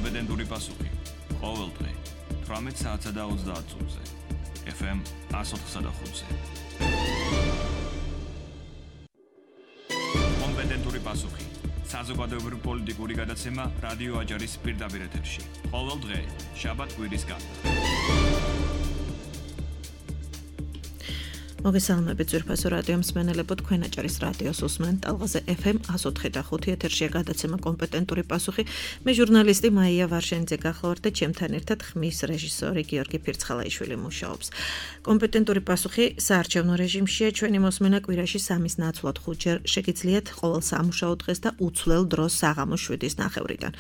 კომპეტენტური პასუხი. ყოველ დღე 18 საათსა და 30 წუთზე. FM 104.5-ზე. კომპეტენტური პასუხი. საზოგადოებრივი პოლიტიკური გადაცემა რადიო აჯარის პირდაპირ ეთერში. ყოველ დღე, შაბათ-კვირის გარდა. მოგესალმებით ძვირფასო რადიო მსმენელებო, თქვენ აჭარის რადიოს უსმენთ ტალღაზე FM 104.5 ეთერშია გადაცემა კომპეტენტური პასუხი. მე ჟურნალისტი მაია ვარშენიძე გახლავართ და ჩემთან ერთად ხმის რეჟისორი გიორგი ფირცხალაიშვილი მუშაობს. კომპეტენტური პასუხი საარჩევნო რეჟიმშია, ჩვენი მოსმენა კვირაში 3-ის ნაცვლად 5-ჯერ შეგიძლიათ ყოველ სამუშაო დღეს და უცვლელ დროს საღამოს 7-ის ნახევრიდან.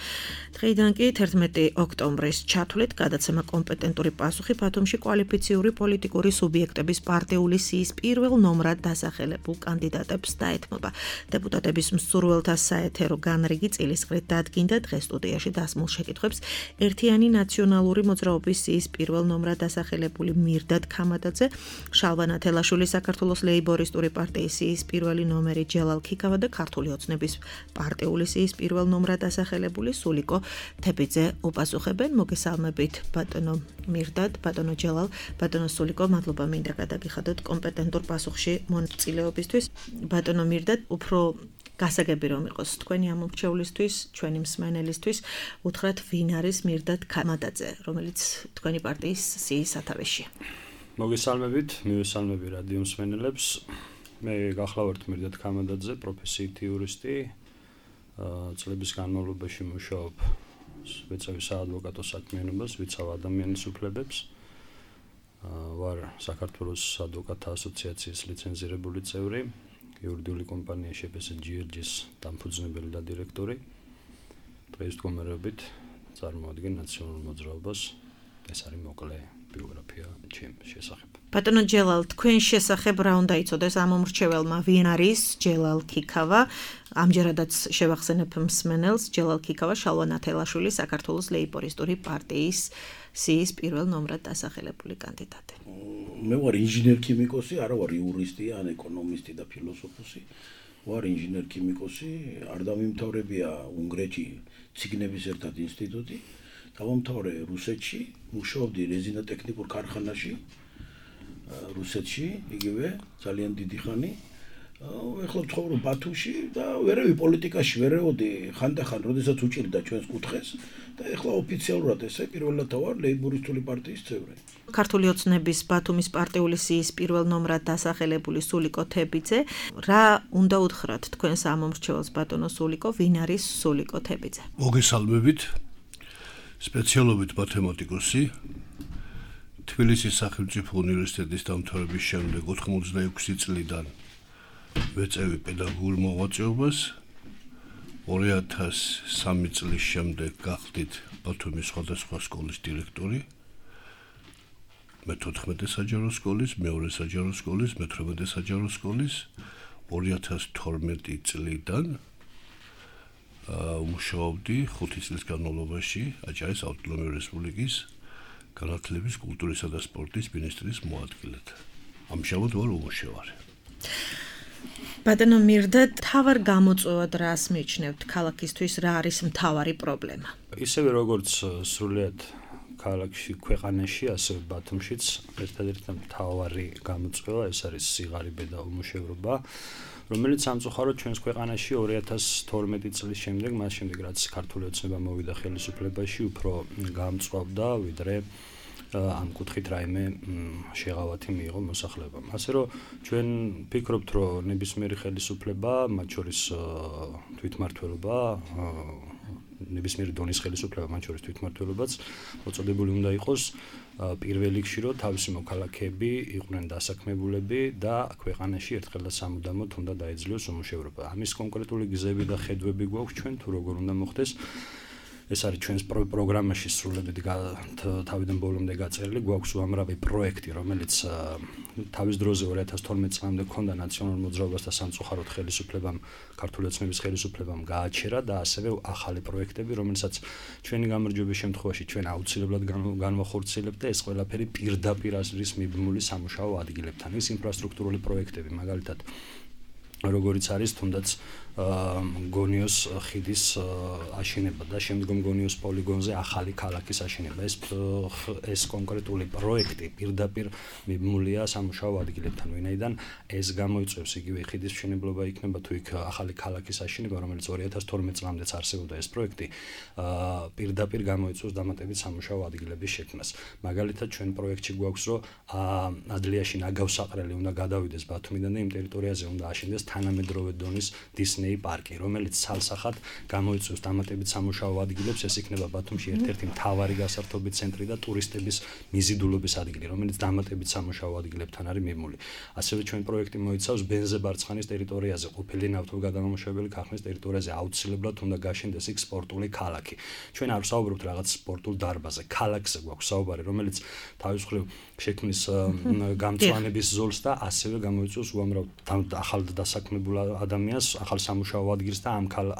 დღეიდან კი 11 ოქტომბრის ჩათვლით გადაცემა კომპეტენტური პასუხი ბათუმში კვალიფიციური პოლიტიკური სუბიექტების პარტიული სიის პირველ ნომრად დასახელებულ კანდიდატებს დაეთმობა. დეპუტატების მსურველთა საეთერო განრიგი წილისყრით დადგინდა დღეს სტუდიაში დასმულ შეკითხვებს ერთიანი ნაციონალური მოძრაობის სიის პირველ ნომრად დასახელებული მირდად ქამადაძე, შალვა ნათელაშვილი საქართველოს ლეიბორისტური პარტიის სიის პირველი ნომერი ჯელალ ქიქავა და ქართული ოცნების პარტიული სიის პირველ ნომრად დასახელებული სულიკო თებიძე უპასუხებენ. მოგესალმებით ბატონო მირდად, ბატონო ჯელალ, ბატონო სულიკო, მადლობა მინდა გადაგიხადოთ კომპეტენტურ პასუხში მონაწილეობისთვის. ბატონო მირდად, უფრო გასაგები რომ იყოს თქვენი ამორჩევლისთვის, ჩვენი მსმენელისთვის, უთხრათ ვინ არის მირდად ქამადაძე, რომელიც თქვენი პარტიის სიის სათავეშია. მოგესალმებით, მივესალმები რადიო მსმენელებს. მე გახლავართ მირდად ქამადაძე, პროფესიით იურისტი. წლების განმავლობაში მუშაობ ვეცავი საადვოკატო საქმიანობას, ვიცავ ადამიანის უფლებებს. ვარ საქართველოს ადვოკატთა ასოციაციის ლიცენზირებული წევრი, იურიდიული კომპანია GRG-ის დამფუძნებელი და დირექტორი. დღეს მდგომარეობით წარმოადგენ ნაციონალურ მოძრაობას. ეს არის მოკლე ბიოგრაფია ჩემ შესახებ. ბატონო ჯელალ, თქვენ შესახებ რა უნდა იცოდეს ამომრჩეველმა, ვინ არის ჯელალ ქიქავა? ამჯერადაც შევახსენებ მსმენელს, ჯელალ ქიქავა შალვა ნათელაშვილი საქართველოს ლეიბორისტური პარტიის სიის პირველ ნომრად დასახელებული კანდიდატი. მე ვარ ინჟინერ-ქიმიკოსი, არა ვარ იურისტი, ან ეკონომისტი და ფილოსოფოსი. ვარ ინჟინერ-ქიმიკოსი, არ დამიმთავრებია უნგრეთში ციგნების ერთად ინსტიტუტი. დავამთავრე რუსეთში, მუშაობდი რეზინატექნიკურ ქარხანაში რუსეთში, იგივე ძალიან დიდი ხანი. ეხლა ვცხოვრობ ბათუმში და ვერავი პოლიტიკაში ვერეოდი ხანდახან, როდესაც უჭირდა ჩვენს კუთხეს და ეხლა ოფიციალურად ესე პირველად ვარ ლეიბორისტული პარტიის წევრი. ქართული ოცნების ბათუმის პარტიული სიის პირველ ნომრად დასახელებული სულიკო თებიძე, რა უნდა უთხრათ თქვენს ამომრჩეველს ბატონო სულიკო, ვინ არის სულიკო თებიძე? მოგესალმებით. სპეციალობით მათემატიკოსი, თბილისის სახელმწიფო უნივერსიტეტის დამთავრების შემდეგ 86 წლიდან ვეწევი პედაგოგურ მოღვაწეობას. 2003 წლის შემდეგ გახდით ბათუმის სხვადასხვა სკოლის დირექტორი. მე-14 საჯარო სკოლის, მე-2 საჯარო სკოლის, მე-18 საჯარო სკოლის. 2012 წლიდან მუშაობდი 5 წლის განმავლობაში აჭარის ავტონომიური რესპუბლიკის განათლების, კულტურისა და სპორტის მინისტრის მოადგილედ. ამჟამად ვარ უმუშევარი. ბატონო მირდად, თავარ გამოწვევად რას მიიჩნევთ ქალაქისთვის, რა არის მთავარი პრობლემა? ისევე როგორც სრულიად ქალაქში, ქვეყანაში, ასევე ბათუმშიც ერთადერთი მთავარი გამოწვევა ეს არის სიღარიბე და უმუშევრობა, რომელიც სამწუხაროდ ჩვენს ქვეყანაში 2012 წლის შემდეგ, მას შემდეგ რაც ქართული ოცნება მოვიდა ხელისუფლებაში, უფრო გამწვავდა, ვიდრე ამ კუთხით რაიმე შეღავათი მიიღო მოსახლეობამ. ასე რომ ჩვენ ვფიქრობთ, რომ ნებისმიერი ხელისუფლება, მათ შორის თვითმმართველობა, ნებისმიერი დონის ხელისუფლება, მათ შორის თვითმმართველობაც მოწოდებული უნდა იყოს პირველ რიგში, რომ თავისი მოქალაქეები იყვნენ დასაქმებულები და ქვეყანაში ერთხელ და სამუდამოდ უნდა დაეძლიოს უმუშევრობა. ამის კონკრეტული გზები და ხედვები გვაქვს ჩვენ, თუ როგორ უნდა მოხდეს. ეს არის ჩვენს პროგრამაში სრულებით თავიდან ბოლომდე გაწერილი. გვაქვს უამრავი პროექტი, რომელიც თავის დროზე 2012 წლამდე ჰქონდა ნაციონალურ მოძრაობას და სამწუხაროდ ხელისუფლებამ, ქართული ოცნების ხელისუფლებამ გააჩერა და ასევე ახალი პროექტები, რომელსაც ჩვენი გამარჯვების შემთხვევაში ჩვენ აუცილებლად განვახორციელებთ და ეს ყველაფერი პირდაპირ არის მიბმული სამუშაო ადგილებთან. ეს ინფრასტრუქტურული პროექტები, მაგალითად როგორიც არის თუნდაც გონიოს ხიდის აშენება და შემდგომ გონიოს პოლიგონზე ახალი ქალაქის აშენება. ეს კონკრეტული პროექტი პირდაპირ მიბმულია სამუშაო ადგილებთან, ვინაიდან ეს გამოიწვევს იგივე ხიდის მშენებლობა იქნება თუ იქ ახალი ქალაქის აშენება, რომელიც 2012 წლამდეც არსებობდა ეს პროექტი, პირდაპირ გამოიწვევს დამატებით სამუშაო ადგილების შექმნას. მაგალითად, ჩვენ პროექტში გვაქვს, რომ ადლიაში ნაგავსაყრელი უნდა გადავიდეს ბათუმიდან და იმ ტერიტორიაზე უნდა აშენდეს თანამედროვე დონის დისნეი პარკი, რომელიც ცალსახად გამოიწვევს დამატებით სამუშაო ადგილებს. ეს იქნება ბათუმში ერთ-ერთი მთავარი გასართობი ცენტრი და ტურისტების მიზიდულობის ადგილი, რომელიც დამატებით სამუშაო ადგილებთან არის მიბმული. ასევე ჩვენ პროექტი მოიცავს ბენზებარცხანის ტერიტორიაზე ყოფილი ნავთობგადამამუშავებელი ქარხნის ტერიტორიაზე აუცილებლად უნდა გაშენდეს იქ სპორტული ქალაქი. ჩვენ არ ვსაუბრობთ რაღაც სპორტულ დარბაზზე, ქალაქზე გვაქვს საუბარი, რომელიც თავის მხრივ შექმნის გამწვანების ზოლს და ასევე გამოიწვევს უამრავ ახალ დასაქმებულ ადამიანს, ახალ სამუშაო ადგილს და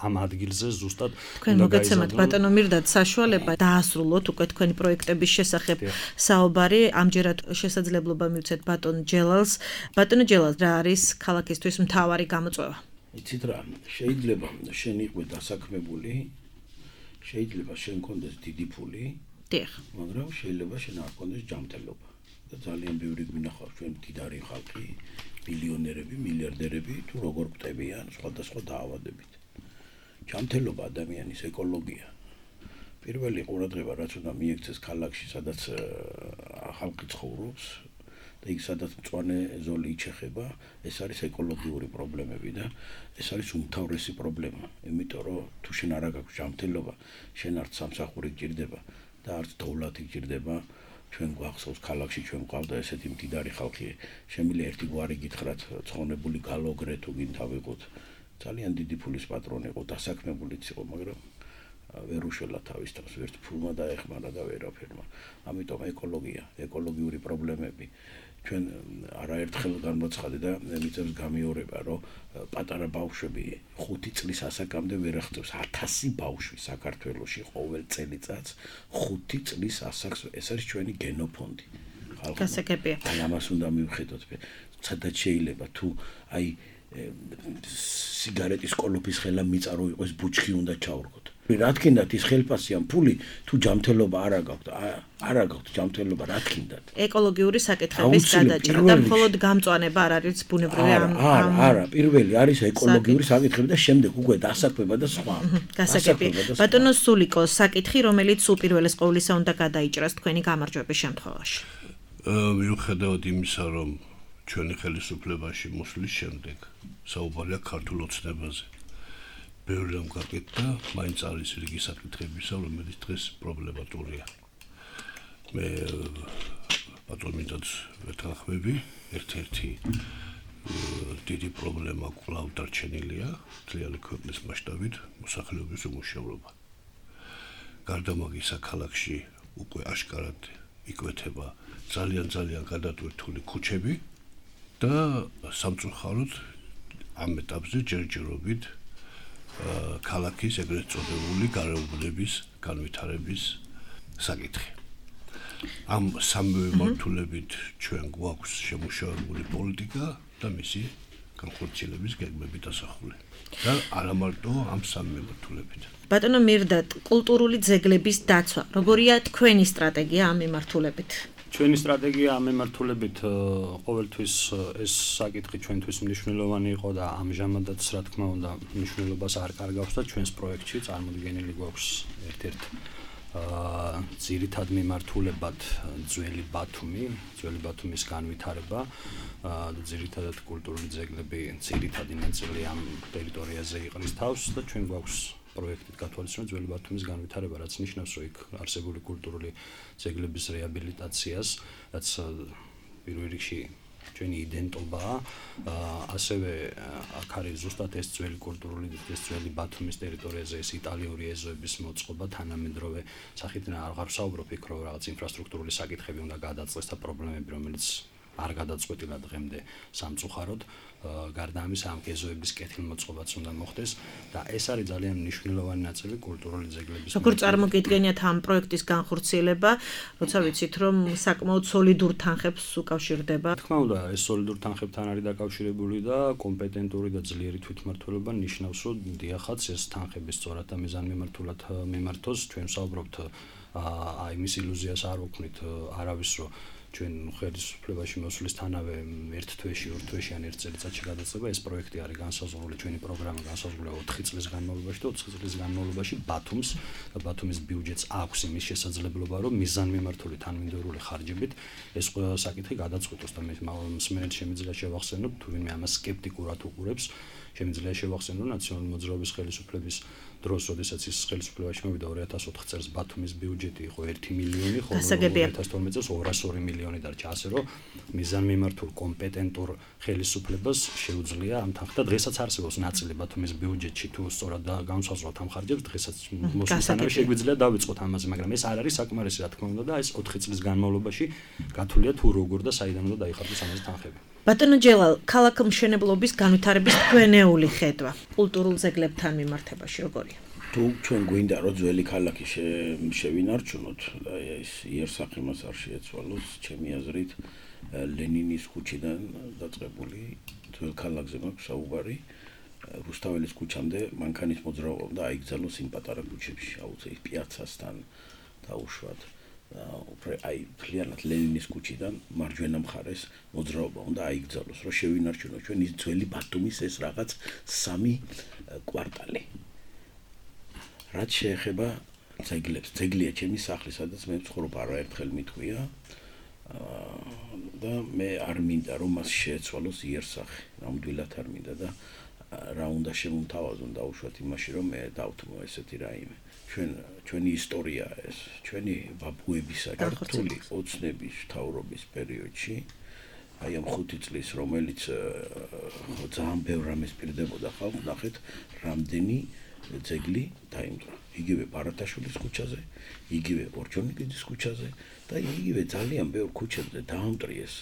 ამ ადგილზე ზუსტად თქვენ მოგეცემათ ბატონო მირდად საშუალება დაასრულოთ უკვე თქვენი პროექტების შესახებ საუბარი. ამჯერად შესაძლებლობა მივცეთ ბატონ ჯელალს. ბატონო ჯელალ, რა არის ქალაქისთვის მთავარი გამოწვევა? იცით რა, შეიძლება შენ იყვე დასაქმებული, შეიძლება შენ კონდეს დიდი ფული, დიახ, მაგრამ შეიძლება შენ არ კონდეს ჯანმრთელობა. და ძალიან ბევრი გვინახავს ჩვენ მდიდარი ხალხი, მილიონერები, მილიარდერები თუ როგორ კვდებიან სხვადასხვა დაავადებით. ჯანმრთელობა ადამიანის ეკოლოგია. პირველი ყურადღება რაც უნდა მიექცეს ქალაქში, სადაც ხალხი ცხოვრობს და იქ სადაც მწვანე ზოლი იჩეხება, ეს არის ეკოლოგიური პრობლემები და ეს არის უმთავრესი პრობლემა. იმიტომ რომ თუ შენ არ აქვს ჯანმრთელობა, შენ არც სამსახური გჭირდება და არც დოვლათი გჭირდება. ჩვენ გვახსოვს ქალაქში ჩვენ გვყავდა ესეთი მდიდარი ხალხი, შემიძლია ერთი გვარი გითხრათ, ცხონებული გალოგრე თუ გინდა ვიყოთ. ძალიან დიდი ფულის პატრონი იყო, დასაქმებულიც იყო, მაგრამ ვერ უშველა თავის თავს, ვერც ფულმა დაეხმარა და ვერაფერმა. ამიტომ ეკოლოგია, ეკოლოგიური პრობლემები. ჩვენ არაერთხელ განმოცხადე და მიწევს გამიორება, რომ პატარა ბავშვები 5 წლის ასაკამდე ვერ აღწევს 1000 ბავშვი საქართველოში ყოველ წელიწადს 5 წლის ასაკს. ეს არის ჩვენი გენოფონდი. გასაგებია. აი ამას უნდა მივხედოთ. სადაც შეიძლება თუ აი სიგარეტის კოლოფის ხელა მიწარო იყოს ბუჩქი უნდა ჩავრგოთ. რა თქინდათ ის ხელფასიან ფული თუ ჯანმრთელობა არ აგაქვთ ჯანმრთელობა რა თქინდათ. ეკოლოგიური საკითხების გადაჭრა და მხოლოდ გამწვანება არ არის ბუნებრივი არა, პირველი არის ეკოლოგიური საკითხები და შემდეგ უკვე დასაქმება და სხვა. გასაგებია. ბატონო სულიკო, საკითხი რომელიც უპირველეს ყოვლისა უნდა გადაიჭრას თქვენი გამარჯვების შემთხვევაში. მიუხედავად იმისა, რომ ჩვენი ხელისუფლებაში მოსვლის შემდეგ საუბარია ქართულ ოცნებაზე. ბევრი რამ გაკეთდა, მაინც არის რიგი საკითხებისა, რომელიც დღეს პრობლემატურია. მე ბატონიდაც ვეთანხმები, ერთ-ერთი დიდი პრობლემა კვლავ დარჩენილია მთლიანი ქვეყნის მასშტაბით მოსახლეობის უმუშევრობა. გარდა მაგისა ქალაქში უკვე აშკარად იკვეთება ძალიან გადატვირთული ქუჩები და სამწუხაროდ ამ ეტაპზე ჯერჯერობით ქალაქის ეგრეთ წოდებული გარეუბნების განვითარების საკითხი. ამ სამივე მართულებით ჩვენ გვაქვს შემუშავებული პოლიტიკა და მისი განხორციელების გეგმები დასახული. და არა მარტო ამ სამივე მართულებით. ბატონო მირდად, კულტურული ძეგლების დაცვა, როგორია თქვენი სტრატეგია ამ მიმართულებით? ჩვენი სტრატეგია ამ მიმართულებით ყოველთვის ეს საკითხი ჩვენთვის მნიშვნელოვანი იყო და ამჟამადაც რა თქმა უნდა მნიშვნელობას არ კარგავს და ჩვენს პროექტში წარმოდგენილი გვაქვს ერთ-ერთ ძირითად მიმართულებად ძველი ბათუმის განვითარება და ძირითადად კულტურული ძეგლები ძირითადი ნაწილი ამ ტერიტორიაზე იყრის თავს და ჩვენ გვაქვს პროექტით გათვალისწინოთ ძველი ბათუმის განვითარება, რაც ნიშნავს, რომ იქ არსებული კულტურული ძეგლების რეაბილიტაციას, რაც პირველ რიგში ჩვენი იდენტობაა, ასევე აქ არის ზუსტად ეს ძველი კულტურული, ეს ძველი ბათუმის ტერიტორიაზე ეს იტალიური ეზოების მოწყობა, თანამედროვე სახით არ ვსაუბრობ იქ, რომ რაღაც ინფრასტრუქტურული საკითხები უნდა გადაწყდეს და პრობლემები, რომელიც არ გადაწყვეტილა დღემდე სამწუხაროდ. გარდა ამისა ამ ეზოების კეთილმოწყობაც უნდა მოხდეს და ეს არის ძალიან მნიშვნელოვანი ნაწილი კულტურული ძეგლების. როგორ წარმოგიდგენიათ ამ პროექტის განხორციელება, როცა ვიცით რომ საკმაოდ სოლიდურ თანხებს უკავშირდება? თქმა უნდა, ეს სოლიდურ თანხებთან არის დაკავშირებული და კომპეტენტური და ძლიერი თვითმმართველობა ნიშნავს, რომ დიახაც ეს თანხები სწორად და მიზანმიმართულად მიმართოს. ჩვენ ვსაუბრობთ აი მის ილუზიას არ ვქნით არავის რომ ჩვენ ხელისუფლებაში მოსვლისთანავე ერთ თვეში, ორ თვეში ან ერთ წელიწადში გადაწება. ეს პროექტი არის განსაზღვრული, ჩვენი პროგრამა განსაზღვრულია 4 წლის განმავლობაში და 4 წლის განმავლობაში ბათუმს და ბათუმის ბიუჯეტს აქვს იმის შესაძლებლობა, რომ მიზანმიმართული თანმიმდევრული ხარჯებით ეს საკითხი გადაწყვიტოს და მსმენელს შემიძლია შევახსენოთ, თუ ვინმე ამას სკეპტიკურად უყურებს, შემიძლია შევახსენოთ, რომ ნაციონალური მოძრაობის ხელისუფლების დროს, როდესაც ის ხელისუფლებაში მოვიდა 2004 წელს ბათუმის ბიუჯეტი იყო 1 მილიონი, ხოლო 2012 წელს 202 მილიონი დარჩა, ასე რომ მიზანმიმართულ კომპეტენტურ ხელისუფლებას შეუძლია ამ თანხით და დღესაც არსებობს ნაწილი ბათუმის ბიუჯეტში თუ სწორად განსაზღვრავთ ამ ხარჯებს, დღესაც მოსვლისთანავე შეგვიძლია დავიწყოთ ამაზე, მაგრამ ეს არ არის საკმარისი რა თქმა უნდა და ეს 4 წლის განმავლობაში გათვლია თუ როგორ და საიდან უნდა დაიხარჯოს ამაზე თანხები. ბატონო ჯელალ, ქალაქ მშენებლობის განვითარების თქვენეული ხედვა კულტურულ ძეგლებთან მიმართებაში როგორია? თუ ჩვენ გვინდა რომ ძველი ქალაქი შევინარჩუნოთ და ეს იერსახე მას არ შეეცვალოს, ჩემი აზრით ლენინის ქუჩიდან დაწყებული ძველ ქალაქზე მაქვს საუბარი, რუსთაველის ქუჩამდე მანქანის მოძრაობა და აიგზავნოს იმ პატარა ქუჩებში, აუცილებლად პიაცასთან დაუშვათ. აი ფლიანად ლენინის ქუჩიდან მარჯვენა მხარეს მოძრაობა უნდა აიგზავნოს, რომ შევინარჩუნოთ ჩვენ ის ძველი ბათუმის ეს რაღაც 3 კვარტალი. რაც შეეხება ძეგლებს, ძეგლია ჩემი სახლი, სადაც მე ვცხოვრობ, არაერთხელ მithქვია და მე არ მინდა რომ მას შეეცვალოს იერსახე, ნამდვილად არ მინდა და რა უნდა შემომთავაზონ დაუშვათ იმაში, რომ მე დავთმო ესეთი რაიმე. ჩვენი ისტორია ეს, ჩვენი ბაბუებისა ქართული ოცნების მთავრობის პერიოდში, აი ამ 5 წლის, რომელიც ძალიან ბევრ რამეს პირდებოდა ხალხს, ნახეთ, რამდენი ძეგლი დაიმტვრა. იგივე ბარათაშვილის ქუჩაზე, იგივე ორჯონიკიძის ქუჩაზე და იგივე ძალიან ბევრ ქუჩებზე დაამტვრიეს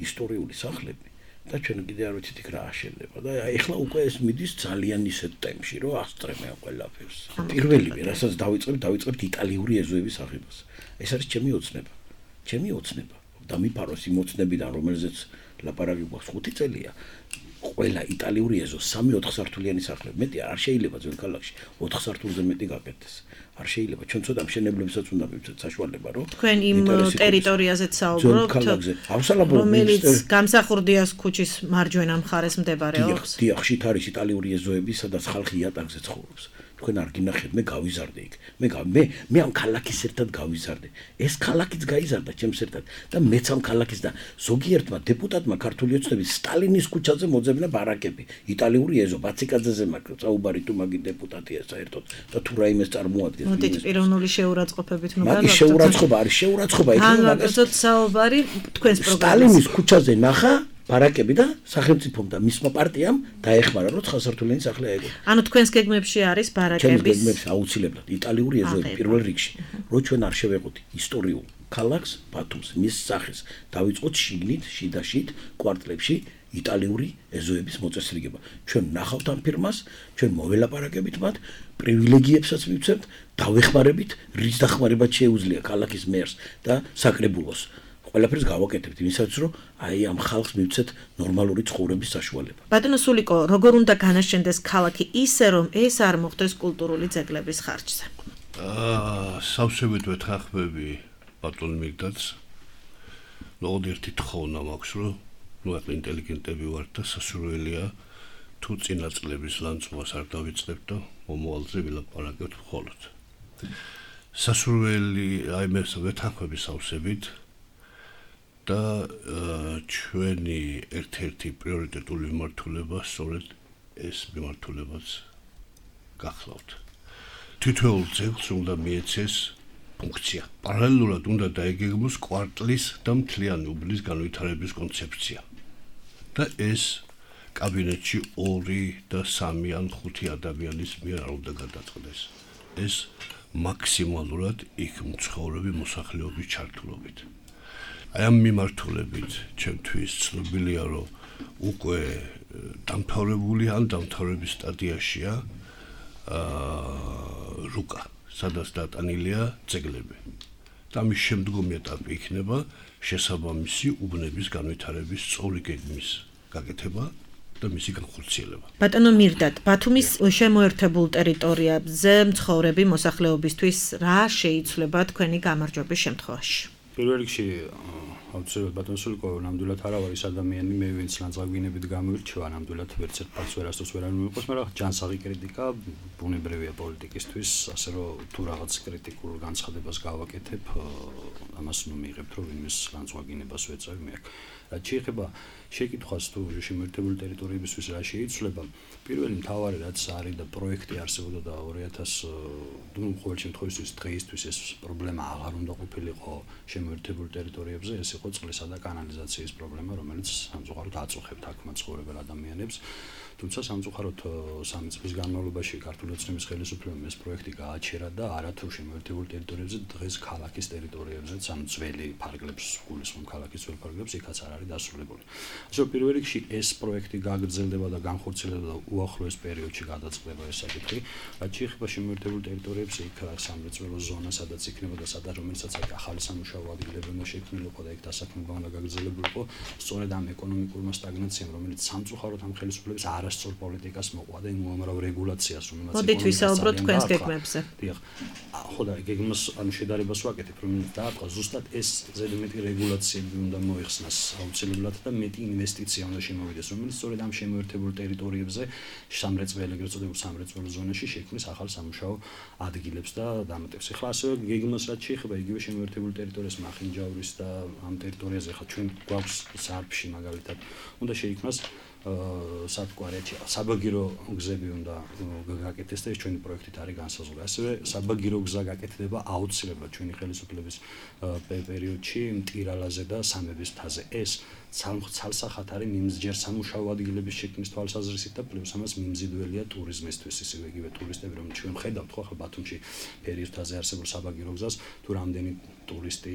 ისტორიული სახლები. და ჩვენ კიდე არ ვიცით იქ რა აშენდება და ეხლა უკვე ეს მიდის ძალიან ისეთ ტემპში რომ ასწრებენ ყველაფერს. პირველი რასაც დავიწყებთ იტალიური ეზოების აღებას. ეს არის ჩემი ოცნება. დამიფაროს იმ ოცნებიდან, რომელზეც ლაპარაკი გვაქვს 5 წელია. ყველა იტალიური ეზო 3-4 სართულიანი სახლები. მეტი არ შეიძლება ძველ ქალაქში 4 სართულზე მეტი გაკეთდეს. არ შეიძლება. ჩვენ ცოტა მშენებლებსაც უნდა მივცეთ საშუალება, რომ თქვენ იმ ტერიტორიაზეც საუბრობთ, რომელიც გამსახურდიას ქუჩის მარჯვენა მხარეს მდებარეობს. დიახ, შით არის იტალიური ეზოები, სადაც ხალხი იატაკზე ცხოვრობს. თქვენ არ გინახეთ, მე გავიზარდე იქ. მე ამ ქალაქის ერთად გავიზარდე. ეს ქალაქიც გაიზარდა ჩემს ერთად და მეც ამ ქალაქის და ზოგიერთმა დეპუტატმა ქართული ოცნების სტალინის ქუჩაზე მოძებნა ბარაკები. იტალიური ეზო ბაციკაძეზე მაქვს საუბარი თუ მაგი დეპუტატია საერთოდ და თუ რაიმეს წარმოადგენს. მოდით პიროვნული შეურაცხყოფებით ნუ მაგის შეურაცხყოფა არის შეურაცხყოფა იქნება მაგას საუბარი თქვენს პროგრამაზე. სტალინის ქუჩაზე ნახა ბარაკები და სახელმწიფომ და მისმა პარტიამ დაეხმარა რომ 9 სართულიანი სახლი აიგო. ანუ თქვენს გეგმებში არის ბარაკების. ჩემს გეგმებში აუცილებლად იტალიური ეზოები პირველ რიგში. რო ჩვენ არ შევეყოთ ისტორიულ ქალაქს ბათუმს, მის სახეს დავიწყოთ შიგნით, შიდაშით, კვარტლებში იტალიური ეზოების მოწესრიგება. ჩვენ ნახავთ ამ ფირმას, ჩვენ მოველაპარაკებით მათ, პრივილეგიებსაც მივცემთ, დავეხმარებით, რის დახმარებაც შეუძლია ქალაქის მერს და საკრებულოს. ყველაფერს გავაკეთებთ იმისათვის, რომ აი ამ ხალხს მივცეთ ნორმალური ცხოვრების საშუალება. ბატონო სულიკო, როგორ უნდა განაშენდეს ქალაქი ისე, რომ ეს არ მოხდეს კულტურული ძეგლების ხარჯზე? სავსებით ვეთანხმები ბატონ მიგდაც. ერთი თხოვნა მაქვს, რომ ახლა ინტელიგენტები ვართ და სასურველია თუ წინა წლების ლანწმას არ დავიწყებთ და მომავალზე ვილაპარაკებთ მხოლოდ. სასურველი აი მე ვეთანხმები სავსებით და ჩვენი ერთ-ერთი პრიორიტეტული მიმართულება სწორედ ეს მიმართულებაც გახლავთ. თითოეულ ძეგლს უნდა მიეცეს ფუნქცია. პარალელურად უნდა დაეგეგმოს კვარტლის და მთლიანი უბნის განვითარების კონცეფცია. და ეს კაბინეტში 2 და 3 ან 5 ადამიანის მიერ არ უნდა გადაწყდეს. ეს მაქსიმალურად იქ მცხოვრები მოსახლეობის ჩართულობით. აი ამ მიმართულებით ჩემთვის ცნობილია რომ უკვე დამთავრებული ან დამთავრების სტადიაშია რუკა სადაც დატანილია ძეგლები და მის შემდგომი ეტაპი იქნება შესაბამისი უბნების განვითარების სწორი გეგმის გაკეთება და მისი განხორციელება. ბატონო მირდად, ბათუმის შემოერთებულ ტერიტორიაზე მცხოვრები მოსახლეობისთვის რა შეიცვლება თქვენი გამარჯვების შემთხვევაში? პირველ რიგში აუცილებლად ბატონ სულიკო ნამდვილად არა ვარ ის ადამიანი მე ვინც ლანძღავინებით გამირჩევა ნამდვილად ვერც ერთ ფაქტს ვერასდროს ვერ არ მიყვეს მაგრამ ჯანსაღი კრიტიკა ბუნებრივია პოლიტიკისთვის ასე რომ თუ რაღაც კრიტიკულ განცხადებას გავაკეთებ ამას მიიღებთ რომ ვინმეს ლანძღავინებას ვეწევი მე რაც შეეხება შეკითხვას თუ შემოერთებული ტერიტორიებისთვის რა შეიცვლება პირველი მთავარი რაც არის და პროექტი არსებობდა და 2000 ну ყოველ შემთხვევაში დღეისთვის ეს პრობლემა აღარ უნდა ყოფილიყო შემოერთებულ ტერიტორიებზე ეს იყო წყლისა და კანალიზაციის პრობლემა რომელიც სამწუხაროდ აწუხებთ აქ მაცხოვრებელ ადამიანებს თუმცა სამწუხაროდ 3 წლის განმავლობაში ქართული ოცნების ხელისუფლებამ ეს პროექტი გააჩერა და არათუ შემოერთებულ ტერიტორიებზე დღეს ქალაქის ტერიტორიებზეც ამ ძველი ფარგლებს გულისხმობ ქალაქის ძველ ფარგლებს იქაც არ არის დასრულებული. ასე პირველ რიგში ეს პროექტი გაგრძელდება და განხორციელდება და უახლოეს პერიოდში გადაწყდება ეს საკითხი. რაც შეეხება შემოერთებულ ტერიტორიებს იქ სამრეწველო ზონა სადაც იქნება და სადაც რომელსაც აქ ახალი სამუშაო ადგილები უნდა შექმნილიყო და იქ დასაქმება უნდა გაგრძელებულიყო სწორედ ამ ეკონომიკურმა სტაგნაციამ რომელიც სამწუხაროდ ამ ხელისუფლების არასწორ პოლიტიკას მოყვა და იმ უამრავ რეგულაციას რომელსაც მოდით ვისაუბროთ თქვენს გეგმებზე. დიახ. ხო და გეგმას ანუ შედარებას ვაკეთებ რომ დაატყვა ზუსტად ეს ზედმეტი რეგულაციები უნდა მოიხსნას აუცილებლად და მეტი ინვესტიცია უნდა შემოვიდეს რომელიც სწორედ ამ შემოერთებულ ტერიტორიებზე სამრეწველო ეგრეთ წოდებულ სამრეწველო ზონაში შექმნის ახალ სამუშაო ადგილებს და დამატებს. ეხლა ასევე გეგმას რაც შეეხება იგივე შემოერთებულ ტერიტორიას მახინჯაურის და ამ ტერიტორიაზე ხა ჩვენ გვაქვს სარფში მაგალითად უნდა შეიქმნას სათკვარეთი საბაგირო გზები უნდა გაკეთდეს და ეს ჩვენი პროექტით არის განსაზღვრული. ასევე საბაგირო გზა გაკეთდება აუცილებლად ჩვენი ხელისუფლების პერიოდში მტირალაზე და სამების მთაზე. ეს ცალსახად არის მიმსჯერ სამუშაო ადგილების შექმნის თვალსაზრისით და პლუს ამას მიმზიდველია ტურიზმისთვის ისევე იგივე ტურისტები რომ ჩვენ ხედავთ ხო ახლა ბათუმში ფერის მთაზე არსებულ საბაგირო გზას თუ რამდენი ტურისტი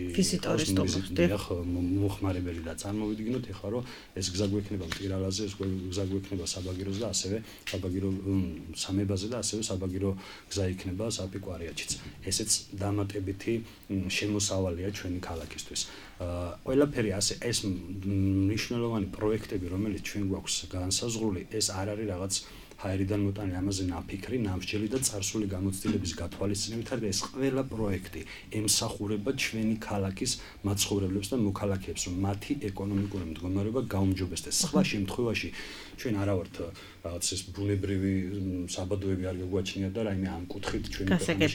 მოხმარებელი და წარმოვიდგინოთ ეხლა რომ ეს გზა გვექნება მტირალაზე ეს გზა გვექნება საბაგიროზე და ასევე საბაგირო სამებაზე და ასევე საბაგირო გზა იქნება საპიკვარიაჩიც. ესეც დამატებითი შემოსავალია ჩვენი ქალაქისთვის. ყველაფერი ასე ეს მნიშვნელოვანი პროექტები რომელიც ჩვენ გვაქვს განსაზღვრული ეს არ არის რაღაც ჰაერიდან მოტანილი ამაზე ნაფიქრი, ნამსჯელი და წარსული გამოცდილების გათვალისწინებით არის ეს ყველა პროექტი ემსახურება ჩვენი ქალაქის მაცხოვრებლებს და მოქალაქეებს რომ მათი ეკონომიკური მდგომარეობა გაუმჯობესდეს. სხვა შემთხვევაში ჩვენ არა ვართ რაღაც ეს ბუნებრივი საბადოები არ გაგვაჩნიათ და რაიმე ამ კუთხით ჩვენი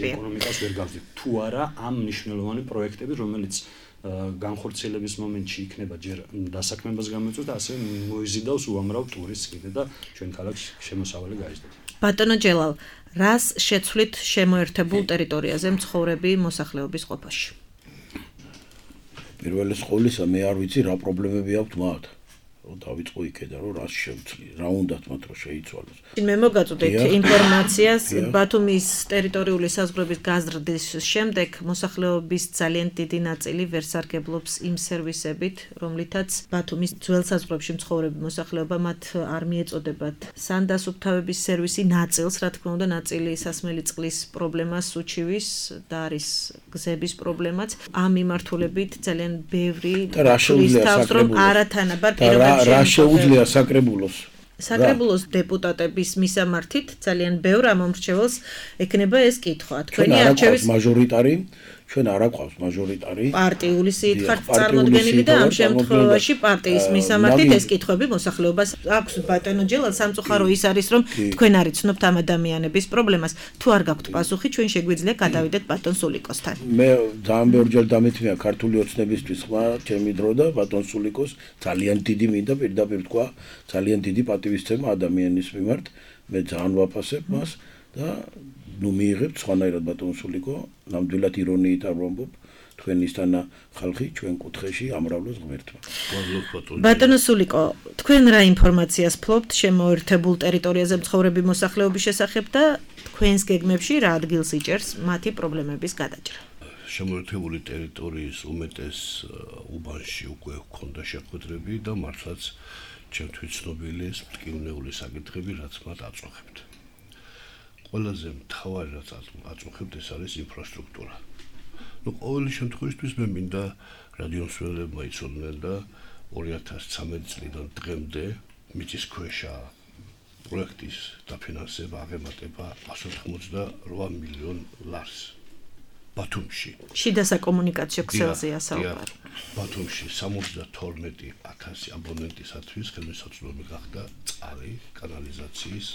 ეკონომიკას ვერ გავზრდით. თუ არა ამ მნიშვნელოვანი პროექტები რომელიც განხორციელების მომენტში იქნება ჯერ დასაქმებას გამოიწვევს და ასევე მოიზიდავს უამრავ ტურისტს კიდე და ჩვენ ქალაქში შემოსავალი გაიზრდება. ბატონო ჯელალ, რას შეცვლით შემოერთებულ ტერიტორიაზე მცხოვრები მოსახლეობის ყოფაში? პირველი ყოვლისა მე არ ვიცი რა პრობლემები აქვთ მათ. რომ დავიწყო იქიდან რომ რას შევცვლი, რა უნდათ მათ რომ შეიცვალოს. მე მოგაწოდეთ ინფორმაციას ბათუმის ტერიტორიული საზღვრების გაზრდის შემდეგ მოსახლეობის ძალიან დიდი ნაწილი ვერ სარგებლობს იმ სერვისებით, რომლითაც ბათუმის ძველ საზღვრებში მცხოვრები მოსახლეობა მათ არ მიეწოდებათ სანდასუფთავების სერვისი ნაწილს, რა თქმა უნდა, ნაწილი სასმელი წყლის პრობლემას უჩივის და არის გზების პრობლემაც. ამ მიმართულებით ძალიან ბევრი თავს რომ არათანაბარ პირობებში რა შეუძლია საკრებულოს დეპუტატების მისამართით ძალიან ბევრ ამომრჩეველს ექნება ეს კითხვა. თქვენი არჩევის მაჟორიტარი ჩვენ არ აყვავს მაჟორიტარი პარტიული სიით ხართ წარმოდგენილი და ამ შემთხვევაში პარტიის მისამართით ეს კითხვები მოსახლეობას აქვს. ბატონო ჯელალ, სამწუხარო ის არის რომ თქვენ არ იცნობთ ამ ადამიანების პრობლემას. თუ არ გაქვთ პასუხი, ჩვენ შეგვიძლია გადავიდეთ ბატონ სულიკოსთან. მე ძალიან ბევრჯერ დამეთმია ქართული ოცნებისთვის ხმა ჩემი დრო და ბატონ სულიკოს ძალიან დიდი მინდა პირდაპირ თქვა ძალიან დიდი პატივისცემა ადამიანის მიმართ. მე ძალიან ვაფასებ მას და ნუ მიიღებთ სხვანაირად ბატონ სულიკო, ნამდვილად ირონიით ამბობ, თქვენისთანა ხალხი ჩვენ კუთხეში ამრავლოს ღმერთმა. ბატონო სულიკო, თქვენ რა ინფორმაციას ფლობთ შემოერთებულ ტერიტორიაზე მცხოვრები მოსახლეობის შესახებ და თქვენს გეგმებში რა ადგილს იჭერს მათი პრობლემების გადაჭრა? შემოერთებული ტერიტორიის უმეტეს უბანში უკვე ჰქონდა შეხვედრები და მართლაც ჩემთვის ცნობილი ეს მტკივნეული საკითხები, რაც მათ აწუხებთ. ყველაზე მთავარი რაც აწუხებთ ეს არის ინფრასტრუქტურა. ყოველი შემთხვევისთვის მე მინდა რადიომსვლელებმა იცოდნენ და 2013 წლიდან დღემდე მიწისქვეშა პროექტის დაფინანსება აღემატება 188 მილიონ ლარს. ბათუმში. შიდა საკომუნიკაციო ქსელზეა საუბარი. ბათუმში 72,000 აბონენტისათვის ხელმისაწვდომი გახდა წყალი, კანალიზაციის.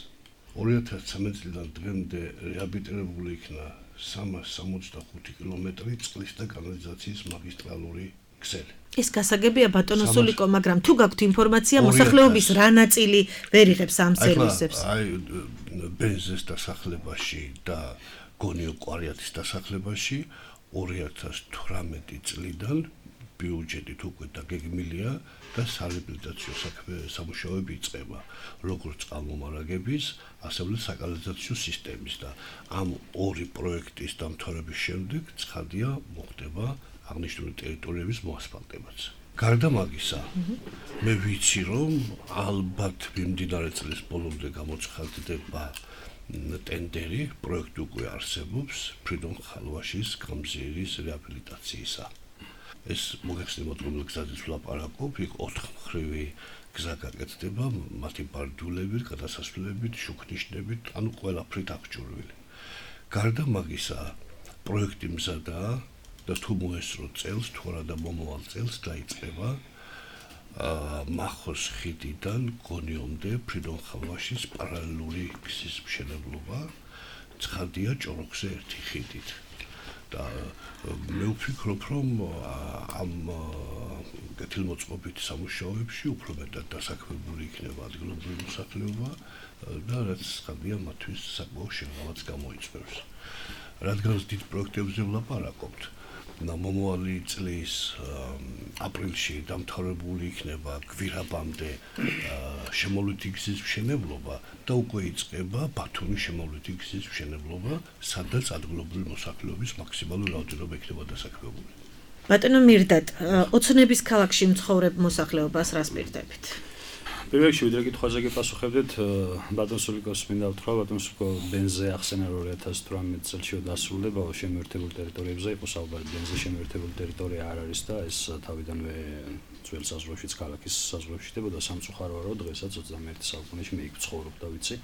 2013 წლიდან დღემდე რეაბილიტირებული იქნა 365 კილომეტრი წყლის და კანალიზაციის მაგისტრალური ქსელი. ეს გასაგებია ბატონო სულიკო, მაგრამ თუ გაქვთ ინფორმაცია მოსახლეობის რა ნაწილი ვერ იღებს ამ სერვისებს? აი ბენზეს დასახლებაში და გონიო კვარიათის დასახლებაში 2018 წლიდან ბიუჯეტით უკვე დაგეგმილია და სარეაბილიტაციო სამუშაოები იწყება, როგორც წყალმომარაგების, ასევე საკანალიზაციო სისტემის და ამ ორი პროექტის დამთავრების შემდეგ ცხადია მოხდება აღნიშნული ტერიტორიების მოასფალტებაც. გარდა მაგისა, მე ვიცი რომ ალბათ მიმდინარე წლის ბოლომდე გამოცხადდება ტენდერი პროექტი უკვე არსებობს ფრიდონ ხალვაშის გამზირის რეაბილიტაციისა. ეს მოგეხსენებათ რომ გზაზეც ვლაპარაკობ, იქ 4 მხრივი გზა გაკეთდება, მათი ბარდულებით, გადასასვლელებით, შუქნიშნებით, ანუ ყველაფრით აღჭურვილი. გარდა მაგისა, პროექტი მზადაა და თუ მოესწრო წელს, თუ არა და მომავალ წელს დაიწყება მახოს ხიდიდან გონიომდე ფრიდონ ხალვაშის პარალელური გზის მშენებლობა, ცხადია ჭოროხზე ერთი ხიდით. და მე ვფიქრობ რომ ამ კეთილმოწყობითი სამუშაოებში უფრო მეტად დასაქმებული იქნება ადგილობრივი მოსახლეობა და რაც ცხადია მათთვის საკმაოდ შეღავაც გამოიწვევს. რადგან დიდ პროექტებზე ვლაპარაკობთ, მომავალი წლის აპრილში დამთავრებული იქნება გვირაბამდე შემოვლითი გზის მშენებლობა და უკვე იწყება ბათუმის შემოვლითი გზის მშენებლობა, სადაც ადგილობრივი მოსახლეობის მაქსიმალური რაოდენობა იქნება დასაქმებული. ბატონო მირდატ, ოცნების ქალაქში მცხოვრებ მოსახლეობას რას პირდებით? პირველ რიგში ვიდრე კითხვაზე გეპასუხებდეთ, ბატონ სულიკოს მინდა ვთქვა, ბატონ სულიკო ბენზე ახსენა 2018 წელს დასრულდება შემოერთებულ ტერიტორიებზე, იყო საუბარი ბენზე შემოერთებული ტერიტორია არ არის და ეს თავიდანვე ძველ საზღვრებშიც ქალაქის საზღვრებში ხდებოდა სამწუხაროა რომ დღესაც 21 საუკუნეში მე იქ ვცხოვრობ და ვიცი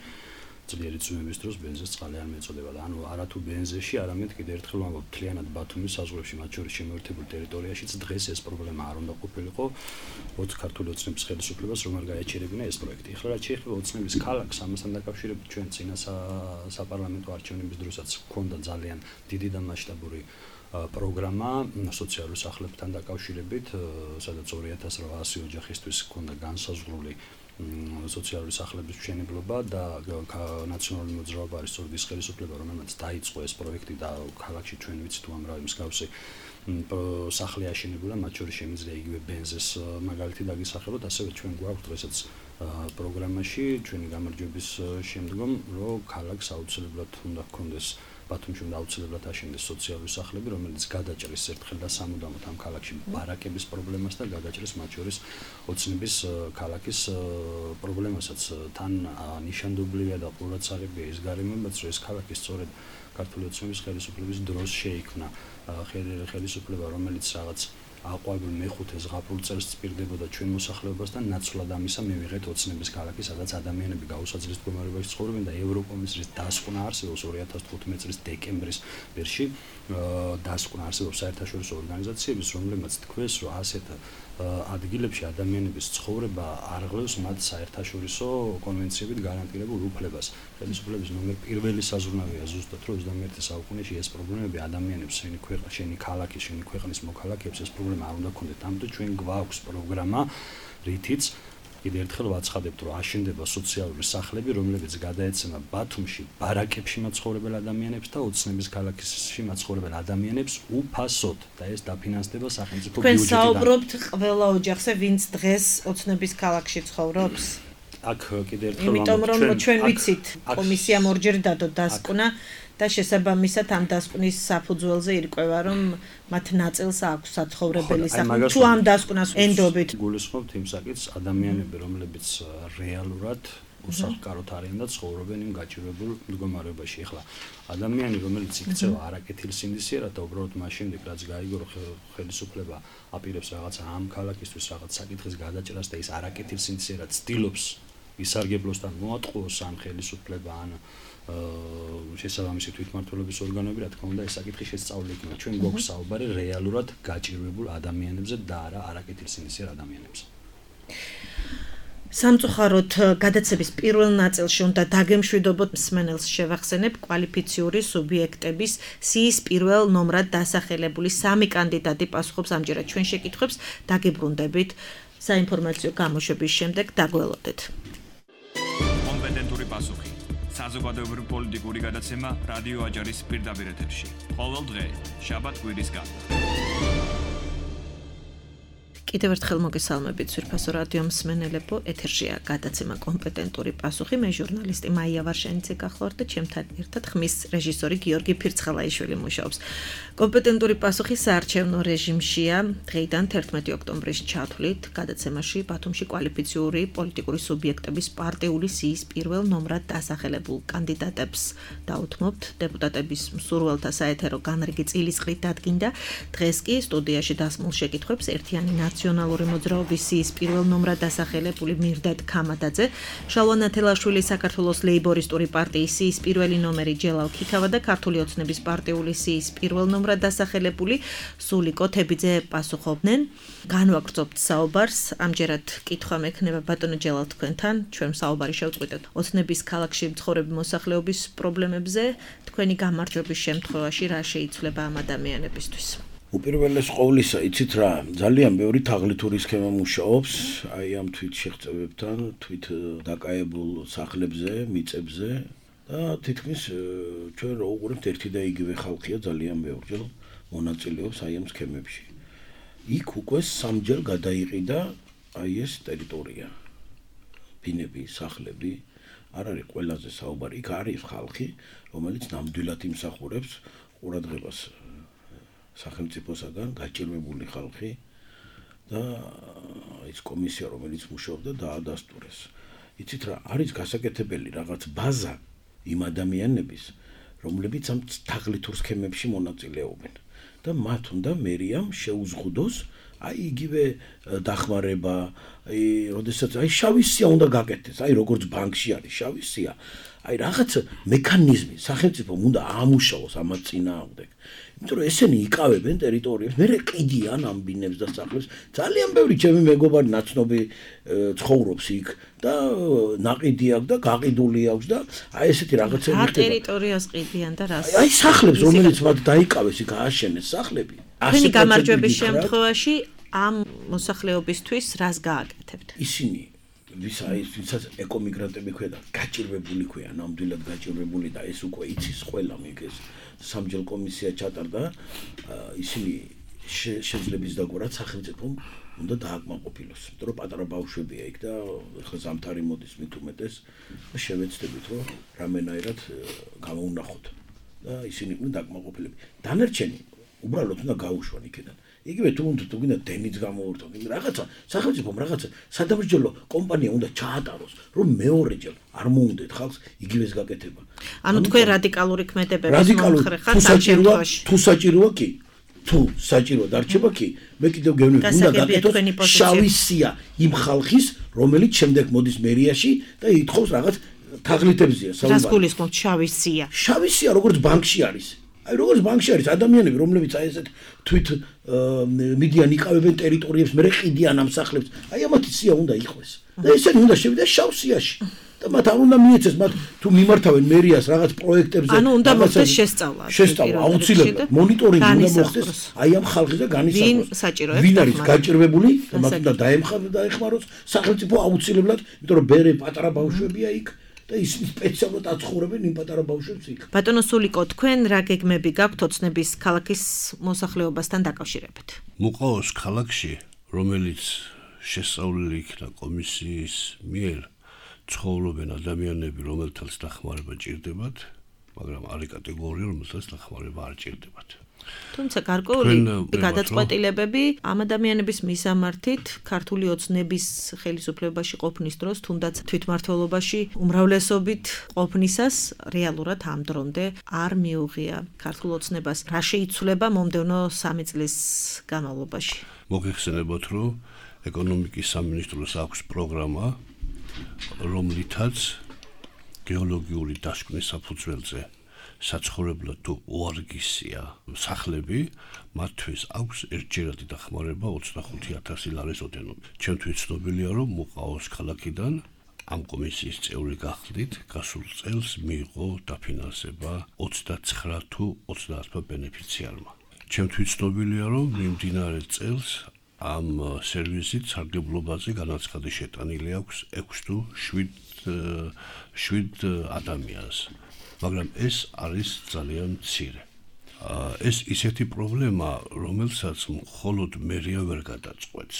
ძლიერი წვიმების დროს ბენზეს წყალი არ მეწოდება და ანუ არათუ ბენზეში, არამედ კიდევ ერთხელ ვამბობ, მთლიანად ბათუმის საზღვრებში, მათ შორის შემოერთებულ ტერიტორიაშიც დღეს ეს პრობლემა არ უნდა ყოფილიყო 20 ქართული ოცნების ხელისუფლებას, რომ არ გაეჩერებინა ეს პროექტი. ახლა რაც შეეხება ოცნების ქალაქს, ამასთან დაკავშირებით ჩვენ წინა საპარლამენტო არჩევნების დროსაც ჰქონდა ძალიან დიდი და მასშტაბური პროგრამა სოციალურ სახლებთან დაკავშირებით, სადაც 2800 ოჯახისთვის ჰქონდა განსაზღვრული სოციალური სახლების მშენებლობა და ნაციონალური მოძრაობა არის სწორედ ის ხელისუფლება, რომელმაც დაიწყო ეს პროექტი და ქალაქში ჩვენ ვიცით უამრავი მსგავსი სახლი აშენებულა, მათ შორის შემიძლია იგივე ბენზეს მაგალითი დაგისახელოთ, ასევე ჩვენ გვაქვს დღესაც პროგრამაში ჩვენი გამარჯვების შემდგომ, რომ ქალაქს აუცილებლად უნდა ჰქონდეს ბათუმში უნდა აუცილებლად აშენდეს სოციალური სახლები, რომელიც გადაჭრის ერთხელ და სამუდამოდ ამ ქალაქში ბარაკების პრობლემას და გადაჭრის მათ შორის ოცნების ქალაქის პრობლემასაც. თან ნიშანდობლივია და ყურადსაღებია ის გარემოებაც, რომ ეს ქალაქი სწორედ ქართული ოცნების ხელისუფლების დროს შეიქმნა ხელისუფლება, რომელიც რაღაც აყვავებულ მეხუთე ზღაპრულ წელს წირდებოდა ჩვენ მოსახლეობასთან, ნაცვლად ამისა მივიღეთ ოცნების ქალაქი, სადაც ადამიანები გაუსაძლებელ მდგომარეობაში ცხოვრობენ და ევროკომისიის დასკვნა არსებობს 2015 წლის დეკემბრის ბერში დასკვნა არსებობს საერთაშორისო ორგანიზაციების, რომლებმაც თქვეს, რომ ასეთ ადგილებში ადამიანების ცხოვრება არღლევს მათ საერთაშორისო კონვენციებით გარანტირებულ უფლებას. ხელისუფლების ნომერ პირველი საზრუნავია ზუსტად, რომ 21 საუკუნეში ეს პრობლემები ადამიანებს, შენი ქალაქის, შენი ქვეყნის მოქალაქეებს ეს პრობლემა არ უნდა ქონდეთ. ამიტომ ჩვენ გვაქვს პროგრამა, რითიც კიდევ ერთხელ ვაცხადებთ, რომ აშენდება სოციალური სახლები, რომლებიც გადაეცემა ბათუმში ბარაკებში მაცხოვრებელ ადამიანებს და ოცნების ქალაქში მაცხოვრებელ ადამიანებს უფასოდ და ეს დაფინანსდება სახელმწიფო ბიუჯეტიდან. თქვენ საუბრობთ ყველა ოჯახზე, ვინც დღეს ოცნების ქალაქში ცხოვრობს? აქ კიდე ერთხელ იმიტომ რომ ჩვენ ვიცით კომისიამ ორჯერ დადო დასკვნა და შესაბამისად ამ დასკვნის საფუძველზე ირკვევა რომ მათ ნაწილს აქვს საცხოვრებელი სახლი თუ ამ დასკვნას ენდობით გულისხმობთ იმ საკითხს ადამიანები რომლებიც რეალურად უსახლკაროდ არიან და ცხოვრობენ იმ გაჭირვებულ მდგომარეობაში. ეხლა ადამიანი რომელიც იქცევა არაკეთილსინდისიერად და უბრალოდ მას შემდეგ რაც გაიგო რომ ხელისუფლება აპირებს რაღაცა ამ ქალაქისთვის რაღაც საკითხის გადაჭრას და ის არაკეთილსინდისიერად ცდილობს ისარგებლოს და მოატყუოს ამ ხელისუფლება ან შესაბამისი თვითმმართველობის ორგანოები, რა თქმა უნდა, ეს საკითხი შესწავლილი იქნება. ჩვენ გვაქვს საუბარი რეალურად გაჭირვებულ ადამიანებზე და არა არაკეთილსინდისიერ ადამიანებზე. სამწუხაროდ გადაცემის პირველ ნაწილში უნდა დაგემშვიდობოთ მსმენელს შევახსენებ კვალიფიციური სუბიექტების სიის პირველ ნომრად დასახელებული 3 კანდიდატი პასუხობს ამჯერად ჩვენ შეკითხვებს დაგებრუნდებით საინფორმაციო გამოშვების შემდეგ დაგველოდეთ. კომპეტენტური პასუხი საზოგადოებრივი პოლიტიკური გადაცემა რადიო აჯარის პირდაპირ ეთერში. ყოველ დღე, შაბათ-კვირის გარდა. კიდევ ერთხელ მოგესალმებით სვირფასო რადიო მსმენელებო, ეთერშია გადაცემა კომპეტენტური პასუხი. მე ჟურნალისტი მაია ვარშენიცე გახლავართ და ჩემთან ერთად ხმის რეჟისორი გიორგი ფირცხალაიშვილი მუშაობს. კომპეტენტური პასუხი საარჩევნო რეჟიმშია. დღეიდან 11 ოქტომბრის ჩათვლით გადაცემაში ბათუმში კვალიფიციური პოლიტიკური სუბიექტების პარტიული სიის პირველ ნომრად დასახელებულ კანდიდატებს დაუთმობთ. დეპუტატების მსურველთა საეთერო განრიგი წილისყრით დადგინდა. დღეს კი სტუდიაში დასმულ შეკითხვებს ერთიანი ნაციონალური მოძრაობის სიის პირველ ნომრად დასახელებული მირდად ქამადაძე, შალვა ნათელაშვილი საქართველოს ლეიბორისტური პარტიის სიის პირველი ნომერი ჯელალ ქიქავა და ქართული ოცნების პარტიული სიის პირველ ნომრად დასახელებული სულიკო თებიძე პასუხობდნენ. განვაგრძობთ საუბარს. ამჯერად კითხვა მექნება ბატონო ჯელალ თქვენთან. ჩვენ საუბარი შევწყვეტეთ ოცნების ქალაქში მცხოვრები მოსახლეობის პრობლემებზე. თქვენი გამარჯვების შემთხვევაში რა შეიცვლება ამ ადამიანებისთვის? უპირველეს ყოვლისა, იცით რა, ძალიან ბევრი თაღლითური სქემა მუშაობს, აი ამ თვით შეღწევებთან, თვით დაკაებულ სახლებზე, მიწებზე და თითქმის ჩვენ რო უყურებთ ერთი და იგივე ხალხია ძალიან ბევრჯერ მონაწილეობს აი ამ სქემებში. იქ უკვე 3-ჯერ გადაიყიდა აი ეს ტერიტორია. ბინები, სახლები, არ არის ყველაზე საუბარი, იქ არის ხალხი, რომელიც ნამდვილად იმსახურებს ყურადღებას სახელმწიფოსაგან გაჭირვებული ხალხი და ის კომისია რომელიც მუშაობდა დაადასტურეს. იცით რა, არის გასაკეთებელი რაღაც ბაზა იმ ადამიანების, რომლებიც ამ თაღლითურ სქემებში მონაწილეობენ და მათ უნდა მერიამ შეუზღუდოს აი იგივე დახმარება, როდესაც აი შავი სია უნდა გაკეთდეს, აი როგორც ბანკში არის შავი სია. აი რაღაც მექანიზმი სახელმწიფომ უნდა აამუშავოს ამას წინააღმდეგ. იმიტომ რომ ესენი იკავებენ ტერიტორიებს, მერე ყიდიან ამ ბინებს და სახლებს. ძალიან ბევრი ჩემი მეგობარი ნაცნობი ცხოვრობს იქ და ნაყიდი აქვს და გაყიდული აქვს და აი ესეთი რაღაცები ხდება. რა ტერიტორიას ყიდიან და რას? აი სახლებს, რომელიც მათ დაიკავეს, იქ ააშენეს სახლები. თქვენი გამარჯვების შემთხვევაში ამ მოსახლეობისთვის რას გააკეთებთ? ისინი ვისაც ეკომიგრანტები ქვია, გაჭირვებული ქვია, ნამდვილად გაჭირვებული და ეს უკვე იცის ყველა მიგეს. სამჯერ კომისია ჩატარდა, ისინი შეძლებს დაგვარად სახელმწიფომ უნდა დააკმაყოფილოს. იმიტომ რომ პატარა ბავშვებია იქ და ხა ზამთარი მოდის მით უმეტეს და შევეცდებით რომ რამენაირად გამოვნახოთ და ისინი იყვნენ დააკმაყოფილები. დანარჩენი უბრალოდ უნდა გაუშვან იქიდან. იგივე თუ გინდა დენიც გამოურთოთ, რაღაცა სახელმწიფომ რაღაცა სადამსჯელო კომპანია უნდა ჩაატაროს, რომ მეორეჯერ არ მოუნდეთ ხალხს იგივეს გაკეთება. ანუ თქვენ რადიკალური ქმედებების მომხრე ხართ ამ შემთხვევაში. თუ საჭიროა კი, თუ საჭირო დარჩება კი, მე კიდევ გეუბნები უნდა გაკეთოს შავი სია იმ ხალხის, რომელიც შემდეგ მოდის მერიაში და ითხოვს რაღაც თაღლითებზია საუბარი. რას გულისხმობთ შავი სია? შავი სია როგორც ბანკში არის. აი როგორც ბანკში არის ადამიანები, რომლებიც აი ესეთ თვით მიდიან იყავებენ ტერიტორიებს, მერე ყიდიან ამ სახლებს. აი ამათი სია უნდა იყვეს. და ესენი უნდა შევიდეს შავ სიაში. და მათ არ უნდა მიეცეს, მათ თუ მიმართავენ მერიას რაღაც პროექტებზე. ანუ უნდა მოხდეს შესწავლა. შესწავლა აუცილებლად. მონიტორინგი უნდა მოხდეს აი ამ ხალხზე განისაზღვროს. ვინ არის გაჭირვებული და მათ უნდა დაეხმაროს სახელმწიფო აუცილებლად, იმიტომ რომ ბერე პატარა ბავშვებია იქ. და ისინი სპეციალურად აცხოვრებენ იმ პატარა ბავშვებს იქ. ბატონო სულიკო, თქვენ რა გეგმები გაქვთ ოცნების ქალაქის მოსახლეობასთან დაკავშირებით? მოყავს ქალაქში, რომელიც შესწავლილი იქნა კომისიის მიერ ცხოვრობენ ადამიანები, რომელთაც დახმარება ჭირდებათ, მაგრამ არის კატეგორია, რომელთაც დახმარება არ ჭირდებათ. თუმცა გარკვეული გადაწყვეტილებები ამ ადამიანების მისამართით ქართული ოცნების ხელისუფლებაში ყოფნის დროს, თუნდაც თვითმმართველობაში უმრავლესობით ყოფნისას რეალურად ამ დრომდე არ მიუღია ქართულ ოცნებას. რა შეიცვლება მომდევნო 3 წლის განმავლობაში? მოგეხსენებათ, რომ ეკონომიკის სამინისტროს აქვს პროგრამა, რომლითაც გეოლოგიური დასკვნის საფუძველზე საცხოვრებლად თუ უარგისია სახლები, მათთვის აქვს ერთჯერადი დახმარება 25,000 ლარის ოდენობით. ჩემთვის ცნობილია, რომ მუყაოს ქალაქიდან ამ კომისიის წევრი გახდით, გასულ წელს მიიღო დაფინანსება 29 თუ 30 ბენეფიციარმა. ჩემთვის ცნობილია, რომ მიმდინარე წელს ამ სერვისით სარგებლობაზე განაცხადი შეტანილი აქვს 6 თუ 7 ადამიანს. მაგრამ ეს არის ძალიან მცირე. ეს ისეთი პრობლემა, რომელსაც მხოლოდ მერია ვერ გადაწყვეტს.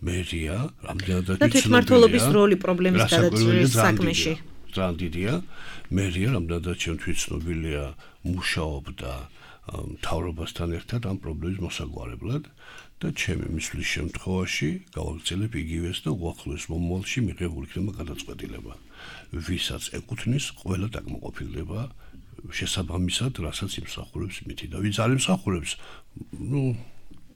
მერია რამდენადაც თვითმმართველობის როლი პრობლემის გადაწყვეტის საქმეში. ძალიან დიდია. მერია რამდენადაც ჩემთვის ცნობილია, მუშაობდა მთავრობასთან ერთად ამ პრობლემის მოსაგვარებლად და ჩემი მისვლის შემთხვევაში გავაგრძელებ იგივეს და უახლოეს მომავალში მიღებულ იქნება გადაწყვეტილება. ვისაც ეკუთვნის, ყველა დაკმაყოფილდება შესაბამისად, რასაც იმსახურებს მითი და ვინც არ იმსახურებს,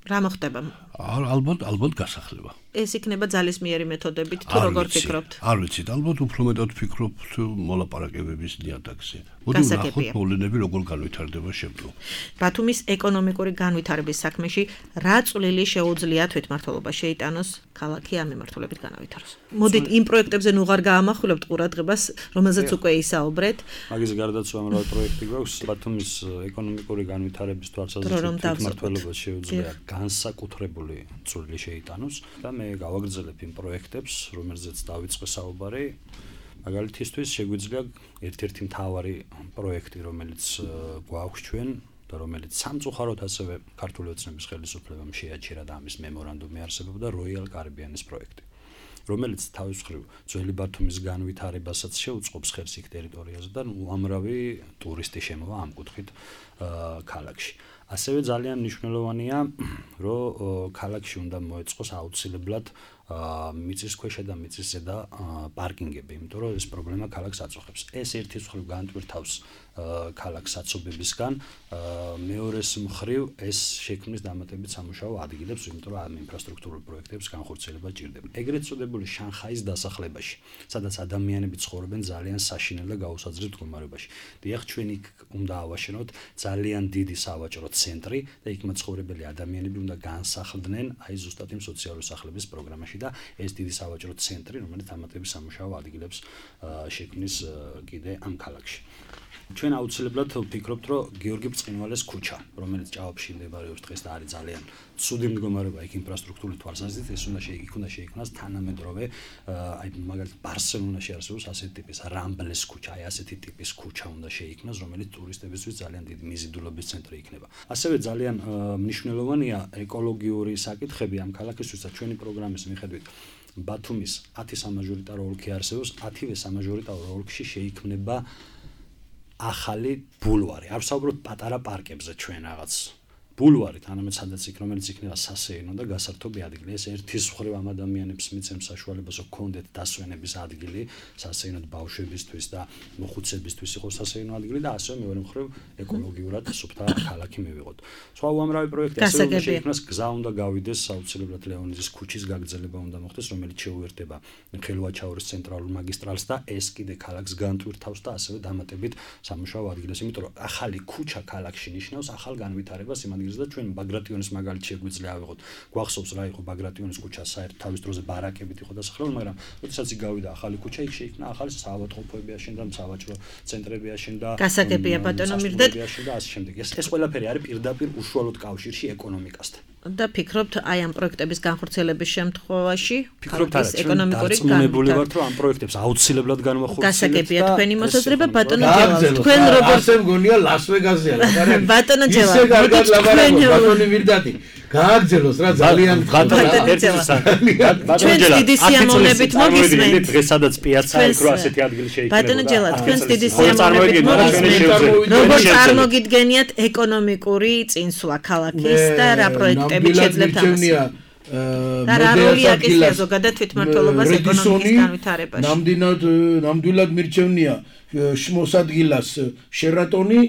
რა მოხდება? ალბათ გასახლება. ეს იქნება ძალისმიერი მეთოდებით თუ როგორ ფიქრობთ? არ ვიცით, ალბათ უფრო მეტად ვფიქრობთ მოლაპარაკებების ნიადაგზე. მოდი ვნახოთ მოვლენები როგორ განვითარდება შემდგომ. ბათუმის ეკონომიკური განვითარების საქმეში რა წვლილი შეუძლია თვითმმართველობა შეიტანოს ქალაქი ამ მიმართულებით განავითაროს? მოდით იმ პროექტებზე ნუ აღარ გაამახვილებთ ყურადღებას, რომელზეც უკვე ისაუბრეთ. მაგის გარდაც უამრავი პროექტი გვაქვს. ბათუმის ეკონომიკური განვითარების თვალსაზრისით თვითმმართველობა შეუძლია განსაკუთრებული წვლილი შეიტანოს და მე გავაგრძელებ იმ პროექტებს, რომელზეც დავიწყე საუბარი. მაგალითისთვის შეგვიძლია ერთ-ერთი მთავარი პროექტი, რომელიც გვაქვს ჩვენ და რომელიც სამწუხაროდ ასევე ქართული ოცნების ხელისუფლებამ შეაჩერა და ამის მემორანდუმი არსებობდა Royal Caribbean-ის პროექტი, რომელიც თავის მხრივ ძველი ბათუმის განვითარებასაც შეუწყობს ხერს იქ ტერიტორიაზე და უამრავი ტურისტი შემოვა ამ კუთხით ქალაქში. ასევე ძალიან მნიშვნელოვანია, რომ ქალაქში უნდა მოეწყოს აუცილებლად მიწისქვეშა და მიწისზედა პარკინგები, იმიტომ რომ ეს პრობლემა ქალაქს აწუხებს. ეს ერთის მხრივ განტვირთავს ქალაქს საცობებისგან, მეორეს მხრივ ეს შექმნის დამატებით სამუშაო ადგილებს, იმიტომ რომ ამ ინფრასტრუქტურულ პროექტებს განხორციელება ჭირდება. ეგრეთ წოდებული შანხაის დასახლებაში, სადაც ადამიანები ცხოვრობენ ძალიან საშინელ და გაუსაძლებელ მდგომარეობაში. დიახ, ჩვენ იქ უნდა ავაშენოთ ძალიან დიდი სავაჭრო ცენტრი და იქ მაცხოვრებელი ადამიანები უნდა განსახლდნენ აი ზუსტად იმ სოციალური სახლების პროგრამაში და ეს დიდი სავაჭრო ცენტრი, რომელიც დამატებით სამუშაო ადგილებს შექმნის კიდე ამ ქალაქში. ჩვენ აუცილებლად ვფიქრობთ, რომ გიორგი ბრწყინვალეს ქუჩა, რომელიც ჭაობში მდებარეობს დღეს და არის ძალიან ცუდი მდგომარეობა იქ ინფრასტრუქტურის თვალსაზრისით, ეს უნდა შეიქმნას თანამედროვე, აი მაგალითად ბარსელონაში არსებობს ასეთი ტიპის რამბლეს ქუჩა, აი ასეთი ტიპის ქუჩა უნდა შეიქმნას, რომელიც ტურისტებისთვის ძალიან დიდი მიზიდულობის ცენტრი იქნება. ასევე ძალიან მნიშვნელოვანია ეკოლოგიური საკითხები ამ ქალაქისთვისაც ჩვენი პროგრამის მიხედვით. ბათუმის 10 სამაჟორიტარო ოლქი არსებობს, 10-ვე სამაჟორიტარო ოლქში შეიქმნება ახალი ბულვარი. არ ვსაუბრობთ პატარა პარკებზე ჩვენ რაღაც ბულვარი, თანამედ სადაც იქ რომელიც იქნება სასეირნო და გასართობი ადგილი. ეს ერთის მხრივ ამ ადამიანებს მიცემს საშუალებას, რომ კონდეთ დასვენების ადგილი, სასეირნოდ ბავშვებისთვის და მოხუცებისთვის იყოს სასეირნო ადგილი და ასევე მეორე მხრივ ეკოლოგიურად სუფთა ქალაქი მივიღოთ. სხვა უამრავი პროექტი ასევე უნდა შეიქმნას, გზა უნდა გავიდეს აუცილებლად ლეონიძის ქუჩის გაგრძელება უნდა მოხდეს, რომელიც შეუერთდება ხელვაჩაურის ცენტრალურ მაგისტრალს და ეს კიდე ქალაქს განტვირთავს და ასევე დამატებით სამუშაო ადგილებს, იმიტომ რომ ახალი ქუჩა ქალაქში ნიშნავს ახალ განვითარებას იმ და ჩვენ ბაგრატიონის მაგალითი შეგვიძლია ავიღოთ. გვახსოვს რა იყო ბაგრატიონის ქუჩა, საერთოდ თავის დროზე ბარაკებით იყო დასახლებული, მაგრამ როდესაც იქ გავიდა ახალი ქუჩა, იქ შეიქმნა ახალი საავადმყოფოები აშენდა, სავაჭრო ცენტრები აშენდა, გასაგებია ბატონო მირდეთ და ასე შემდეგ. ეს ყველაფერი არის პირდაპირ უშუალოდ კავშირში ეკონომიკასთან. და ფიქრობთ აი ამ პროექტების განხორციელების შემთხვევაში ფიქრობთ არა, ჩვენ დარწმუნებული ვართ, რომ ამ პროექტებს აუცილებლად განვახორციელებთ. გასაგებია თქვენი მოსაზრება ბატონო ჯელავ. თქვენ როგორც ასე მგონია ლას ვეგასია, ბატონო ჯელავ. ბატონი მირდატი გააგრძელოს რა ძალიან ჩვენს დიდი სიამოვნებით მოგისმენთ დღეს სადაც პიაცა იქ რო ასეთი ადგილი შეიქმნება ბატონო ჯელა თქვენს დიდი სიამოვნებით მოგისმენთ როგორ წარმოგიდგენიათ ეკონომიკური წინსვლა ქალაქის და რა პროექტები შეძლებთ ამას და რა როლი აკისრია ზოგადად თვითმმართველობას ეკონომიკის განვითარებაში ნამდვილად მირჩევნია მოსადგილას შერატონი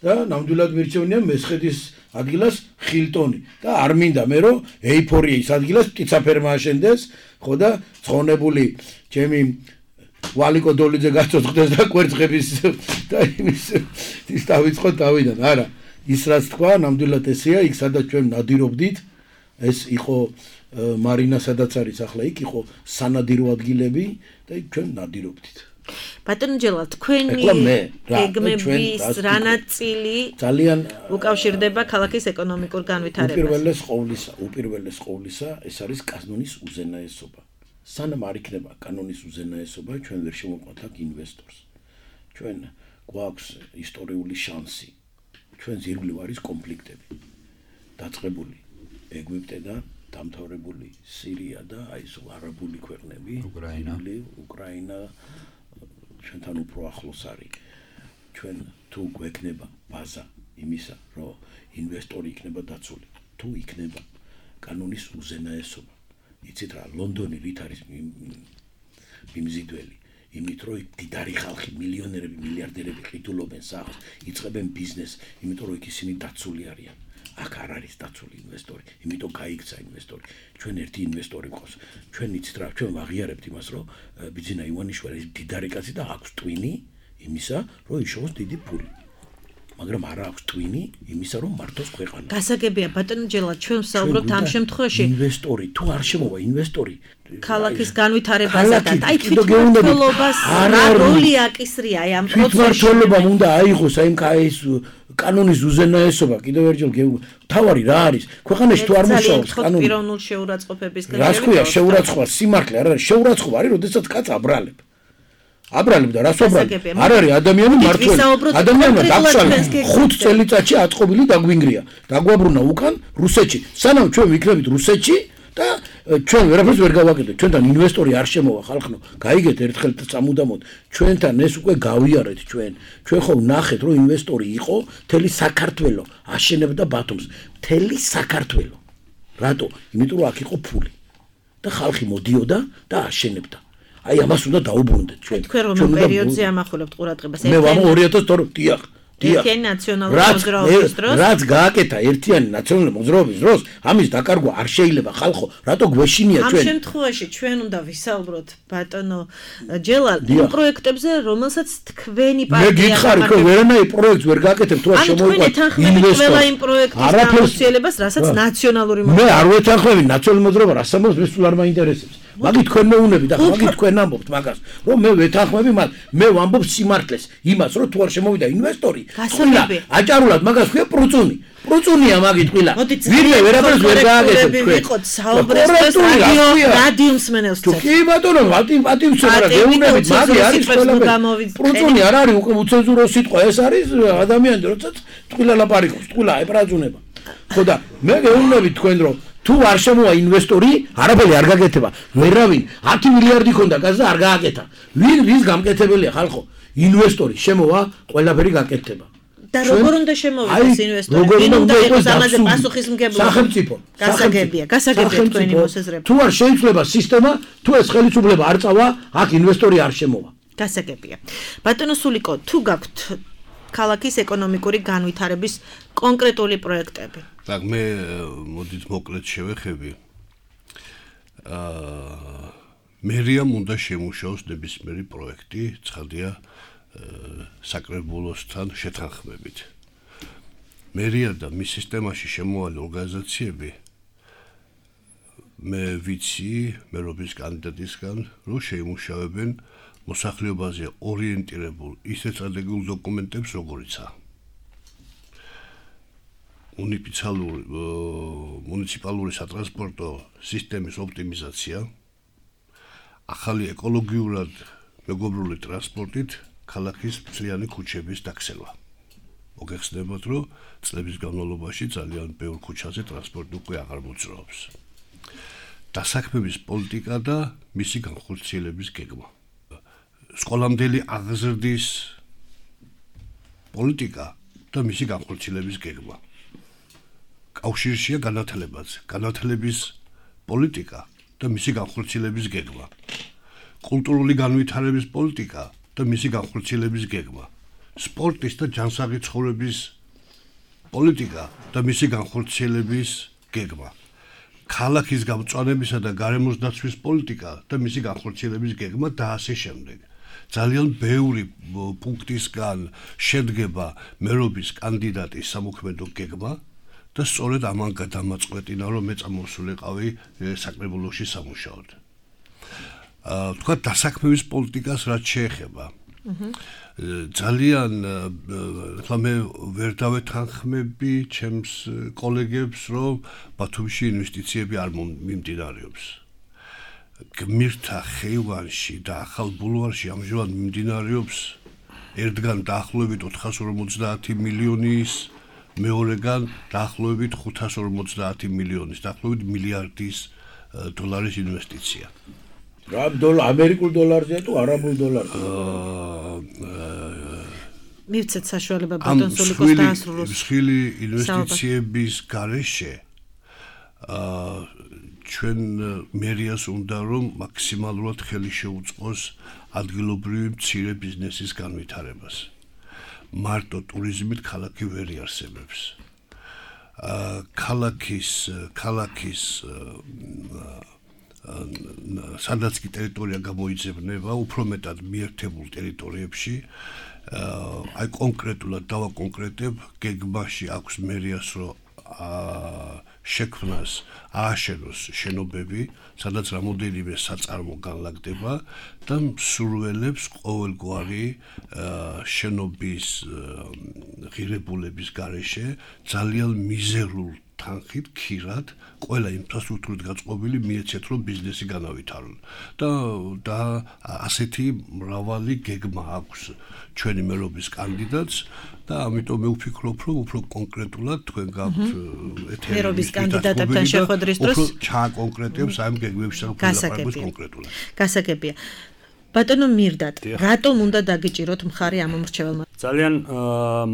და ნამდვილად მირჩევნია მესხეთის ადგილას ხილტონი და არ მინდა მე რომ ეიფორიის ადგილას პტიცაფერმა აშენდეს ხო და ცხონებული ჩემი ვალიკო დოლიძე გაწოწყდეს და კვერცხების და იმის დავიწყოთ თავიდან არა ის რაც თქვა ნამდვილად ესეა იქ სადაც ჩვენ ნადირობდით ეს იყო მარინა სადაც არის ახლა იქ იყო სანადირო ადგილები და იქ ჩვენ ნადირობდით ბატონო ჯელა თქვენი გეგმების რა ნაწილი ძალიან უკავშირდება ქალაქის ეკონომიკურ განვითარებას უპირველეს ყოვლისა ეს არის კანონის უზენაესობა სანამ არ იქნება კანონის უზენაესობა ჩვენ ვერ შევამყოთ აქ ინვესტორს ჩვენ გვაქვს ისტორიული შანსი ჩვენს ირგვლივ არის კონფლიქტები დაწყებული ეგვიპტედან დამთავრებული სირია და აი ეს არაბული ქვეყნები უკრაინა ჩვენთან უფრო ახლოს არის ჩვენ თუ გვექნება ბაზა იმისა რომ ინვესტორი იქნება დაცული თუ იქნება კანონის უზენაესობა იცით რა ლონდონი რით არის მიმზიდველი იმით რომ დიდარი ხალხი მილიონერები მილიარდერები ყიდულობენ სახლს იწყებენ ბიზნესს იმიტომ რომ იქ ისინი დაცული არიან აქ არ არის დაცული ინვესტორი იმიტომ გაიქცა ინვესტორი ჩვენ ერთი ინვესტორი გვყავს ჩვენ იცით რა ჩვენ ვაღიარებთ იმას რომ ბიძინა ივანიშვილი ის დიდარი კაცი და აქვს ტვინი იმისა რომ იშოვოს დიდი ფული მაგრამ არა აქვს ტვინი იმისა რომ მართოს ქვეყანა გასაგებია ბატონო ჯელა ჩვენ ვსაუბრობთ ამ შემთხვევაში ინვესტორი თუ არ შემოვა ინვესტორი ქალაქის განვითარებასთან აი თვითმმართველობას რა როლი აკისრია აი ამ პროცესში თვითმმართველობამ უნდა აიღოს აი ეს კანონის უზენაესობა კიდევ ერთხელ თავარი რა არის ქვეყანაში თუ არ მუშაობს კანონი პიროვნულ შეურაცხყოფების რას ქვია შეურაცხყოფა სიმართლე არ არის შეურაცხყოფა არის როდესაც კაც აბრალებ და რას ვაბრალებ არ არის ადამიანი მართლი ადამიანმა დაგშალა 5 წელიწადში აწყობილი დაგვინგრია დაგვაბრუნა უკან რუსეთში სანამ ჩვენ ვიქნებით რუსეთში და ჩვენ ვერაფერს ვერ გავაკეთებთ ჩვენთან ინვესტორი არ შემოვა ხალხო გაიგეთ ერთხელ სამუდამოდ ჩვენთან ეს უკვე გავიარეთ ჩვენ ხო ვნახეთ რომ ინვესტორი იყო მთელი საქართველო აშენებდა ბათუმს მთელი საქართველო რატო იმიტომ რომ აქ იყო ფული და ხალხი მოდიოდა და აშენებდა აი ამას უნდა დაუბრუნდეთ ჩვენ თქვენ რომ პერიოდზე ამახვილებთ ყურადღებას მე ვამო 2002 დიახ ერთიანი ნაციონალური მოძრაობის დროს რაც გააკეთა ერთიანი ნაციონალური მოძრაობის დროს ამის დაკარგვა არ შეიძლება ხალხო რატო გვეშინია ჩვენ ამ შემთხვევაში ჩვენ უნდა ვისაუბროთ ბატონო ჯელა იმ პროექტებზე რომელსაც თქვენი პარტია მე გითხარი რომ ვერანაირ პროექტს ვერ გააკეთებ თუ არ შემოიყვანეთ ინვესტორი ყველა იმ პროექტის განხორციელებას რასაც ნაციონალური მოძრაობა მე არ ვეთანხმები ნაციონალური მოძრაობა რას ამბობს მე სულ არ მაინტერესებს მაგით თქვენ მეუნები და მაგით თქვენ ამბობთ მაგას რომ მე ვეთანხმები მაგ მე ვამბობ სიმართლეს იმას რომ თუ არ შემოვიდა ინვესტორი აჭარულად მაგას ქვია პრუწუნია მაგით ყილა ვინმე ვერაფერს ვერ გააკეთებ თქვენ ვიყოთ საუბრებს რადიო მსმენელს თუ კი ბატონო პატივცემ რა გეუნებით მაგი არის ყველაფერი პრუწუნი არ არის უკვე უცენზურო სიტყვა ეს არის ადამიანი როდესაც ყილა ლაპარაკობს ყილა ეპრაზუნება ხო და მე გეუნებით თქვენ რომ თუ არ შემოვა ინვესტორი, არაფერი არ გაკეთება. ვერავინ 10 მილიარდი ქონდა გაზ და არ გააკეთა. ვინ რის გამკეთებელია ხალხო? ინვესტორი შემოვა, ყველაფერი გაკეთდება. და როგორ უნდა შემოვიდეს ინვესტორი? ვინ უნდა იყოს ამაზე პასუხისმგებლობა? სახელმწიფო. გასაგებია თქვენი მოსაზრება. თუ არ შეიძლება სისტემა, თუ ეს ხელისუფლება არ წავა, აქ ინვესტორი არ შემოვა. გასაგებია. ბატონო სულიკო, თუ გაქვთ ქალაქის ეკონომიკური განვითარების კონკრეტული პროექტები? так მე მოდით მოკლედ შევეხები მერიამ უნდა შემუშაოს ნებისმიერი პროექტი ცხადია საკრებულოსთან შეთანხმებით მერია და მის სისტემაში შემოვალი ორგანიზაციები მე ვიცი მერობის კანდიდატისგან რომ შეიმუშავებენ მოსახლეობაზე ორიენტირებულ ისეთ სტრატეგიულ დოკუმენტებს როგორიცაა მუნიციპალური სატრანსპორტო სისტემის ოპტიმიზაცია, ახალი ეკოლოგიურად მეგობრული ტრანსპორტით ქალაქის მთლიანი ქუჩების დაქცევა. მოგეხსენებათ, რომ წლების განმავლობაში ძალიან ბევრ ქუჩაზე ტრანსპორტი უკვე აღარ მოძრაობს. დასაქმების პოლიტიკა და მისი განხორციელების გეგმა. სკოლამდელი აღზრდის პოლიტიკა და მისი განხორციელების გეგმა. კავშირშია განათლების პოლიტიკა და მისი განხორციელების გეგმა. კულტურული განვითარების პოლიტიკა და მისი განხორციელების გეგმა. სპორტის და ჯანსაღი ცხოვრების პოლიტიკა და მისი განხორციელების გეგმა. ქალაქის გამწვანებისა და გარემოს დაცვის პოლიტიკა და მისი განხორციელების გეგმა და ასე შემდეგ. ძალიან ბევრი პუნქტისგან შედგება მერობის კანდიდატის სამოქმედო გეგმა და სწორედ ამან გადამაწყვეტინა, რომ მე წამოსულიყავი საკრებულოში სამუშაოდ. თქვა დასაქმების პოლიტიკას რაც შეეხება. ძალიან ხლა მე ვერ დავეთანხმები ჩემს კოლეგებს, რომ ბათუმში ინვესტიციები არ მიმდინარეობს. გმირთა ხეივანში და ახალ ბულვარში ამჟამად მიმდინარეობს ერთგან დაახლოებით 450 მილიონის, მეორეგან დაახლოებით 550 მილიონის, დაახლოებით მილიარდის დოლარის ინვესტიცია. რა ამერიკულ დოლარზეა თუ არაბულ დოლარზე? მივცეთ საშუალება ბატონ სულიკოს დაასრულოს. მსხვილი ინვესტიციების გარეშე ჩვენ მერიას უნდა რომ მაქსიმალურად ხელი შეუწყოს ადგილობრივი მცირე ბიზნესის განვითარებას. მარტო ტურიზმით ქალაქი ვერ იარსებებს. ქალაქის სადაც კი ტერიტორია გამოიძებნება, უფრო მეტად მიერთებულ ტერიტორიებში, აი კონკრეტულად დავაკონკრეტებ, გეგმაში აქვს მერიას, რომ შექმნას ააშენოს შენობები, სადაც რამოდენიმე საწარმო განლაგდება და მსურველებს ყოველგვარი შენობის ღირებულების გარეშე ძალიან მიზერულ თანხით ქირად ყველა ინფრასტრუქტურით გაწყობილი მიეცეთ, რომ ბიზნესი განავითარონ. და ასეთი მრავალი გეგმა აქვს ჩვენი მერობის კანდიდატს და ამიტომ მე ვფიქრობ, რომ უფრო კონკრეტულად თქვენ გაქვთ ეთერი მერობის კანდიდატებთან შეხვედრის დროს ჩააკონკრეტებს ამ გეგმებში საკუთრებას კონკრეტულად. გასაგებია. ბატონო მირდატ, რატომ უნდა დაგიჭიროთ მხარი ამ მომრჩეველმა? ძალიან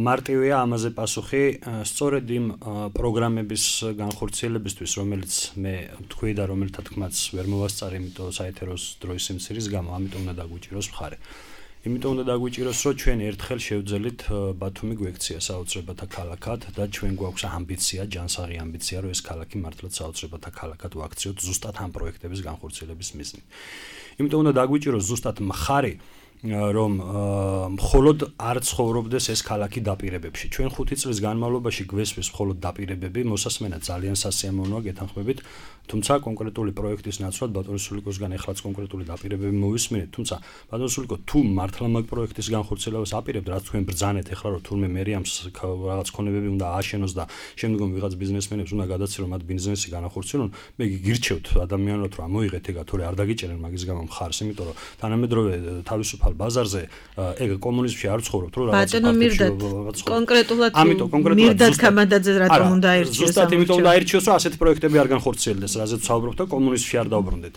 მარტივია ამაზე პასუხი, სწორედ იმ პროგრამების განხორციელებისთვის, რომელიც მე თქვი და რომელთა თქმაც ვერ მოვასწარი, იმიტომ საეთეროს დროის სიმცირის გამო, ამიტომ უნდა დაგვიჭიროს მხარი. იმიტომ უნდა დაგვიჭიროს, რომ ჩვენ ერთხელ შევძელით ბათუმი გვექცია საოცრებათა ქალაქად და ჩვენ გვაქვს ამბიცია, ჯანსაღი ამბიცია, რომ ეს ქალაქი მართლაც საოცრებათა ქალაქად ვაქციოთ ზუსტად ამ პროექტების განხორციელების მიზნით. იმიტომ უნდა დაგვიჭიროს ზუსტად მხარი, რომ მხოლოდ არ ცხოვრობდეს ეს ქალაქი დაპირებებში. ჩვენ 5 წლის განმავლობაში გვესვეს მხოლოდ დაპირებები, მოსასმენა ძალიან სასიამოვნოა, გეთანხმებით, თუმცა კონკრეტული პროექტის ნაცვლად ბატონ სულიკოსგან ეხლაც კონკრეტული დაპირებები მოვისმინეთ, თუმცა ბატონ სულიკო თუ მართლა მაგ პროექტის განხორციელებას აპირებთ, რაც თქვენ ბრძანეთ ეხლა, რომ თურმე მერიამს რაღაც ქონებები უნდა ააშენოს და შემდგომ ვიღაც ბიზნესმენებს უნდა გადაცილონ მათ ბიზნესი განახორციელონ, მე გირჩევთ ადამიანურად რომ მოიღეთ ეგა, თორე არ დაგიჭერენ მაგის გამო მხარს, იმიტომ რომ თანამედროვე თავისუფალ ბაზარზე ეგ კომუნიზმში არ ცხოვრობთ, რომ რაღაც ბატონო მირდატ კონკრეტულად მირდატ კამანდაძე რატომ უნდა აირჩიოს? ზუსტად იმიტომ უნდა აირჩიოს, რომ ასეთი პროექტები არ განხორციელდეს, რაზეც ვსაუბრობთ და კომუნიზმში არ დავბრუნდეთ.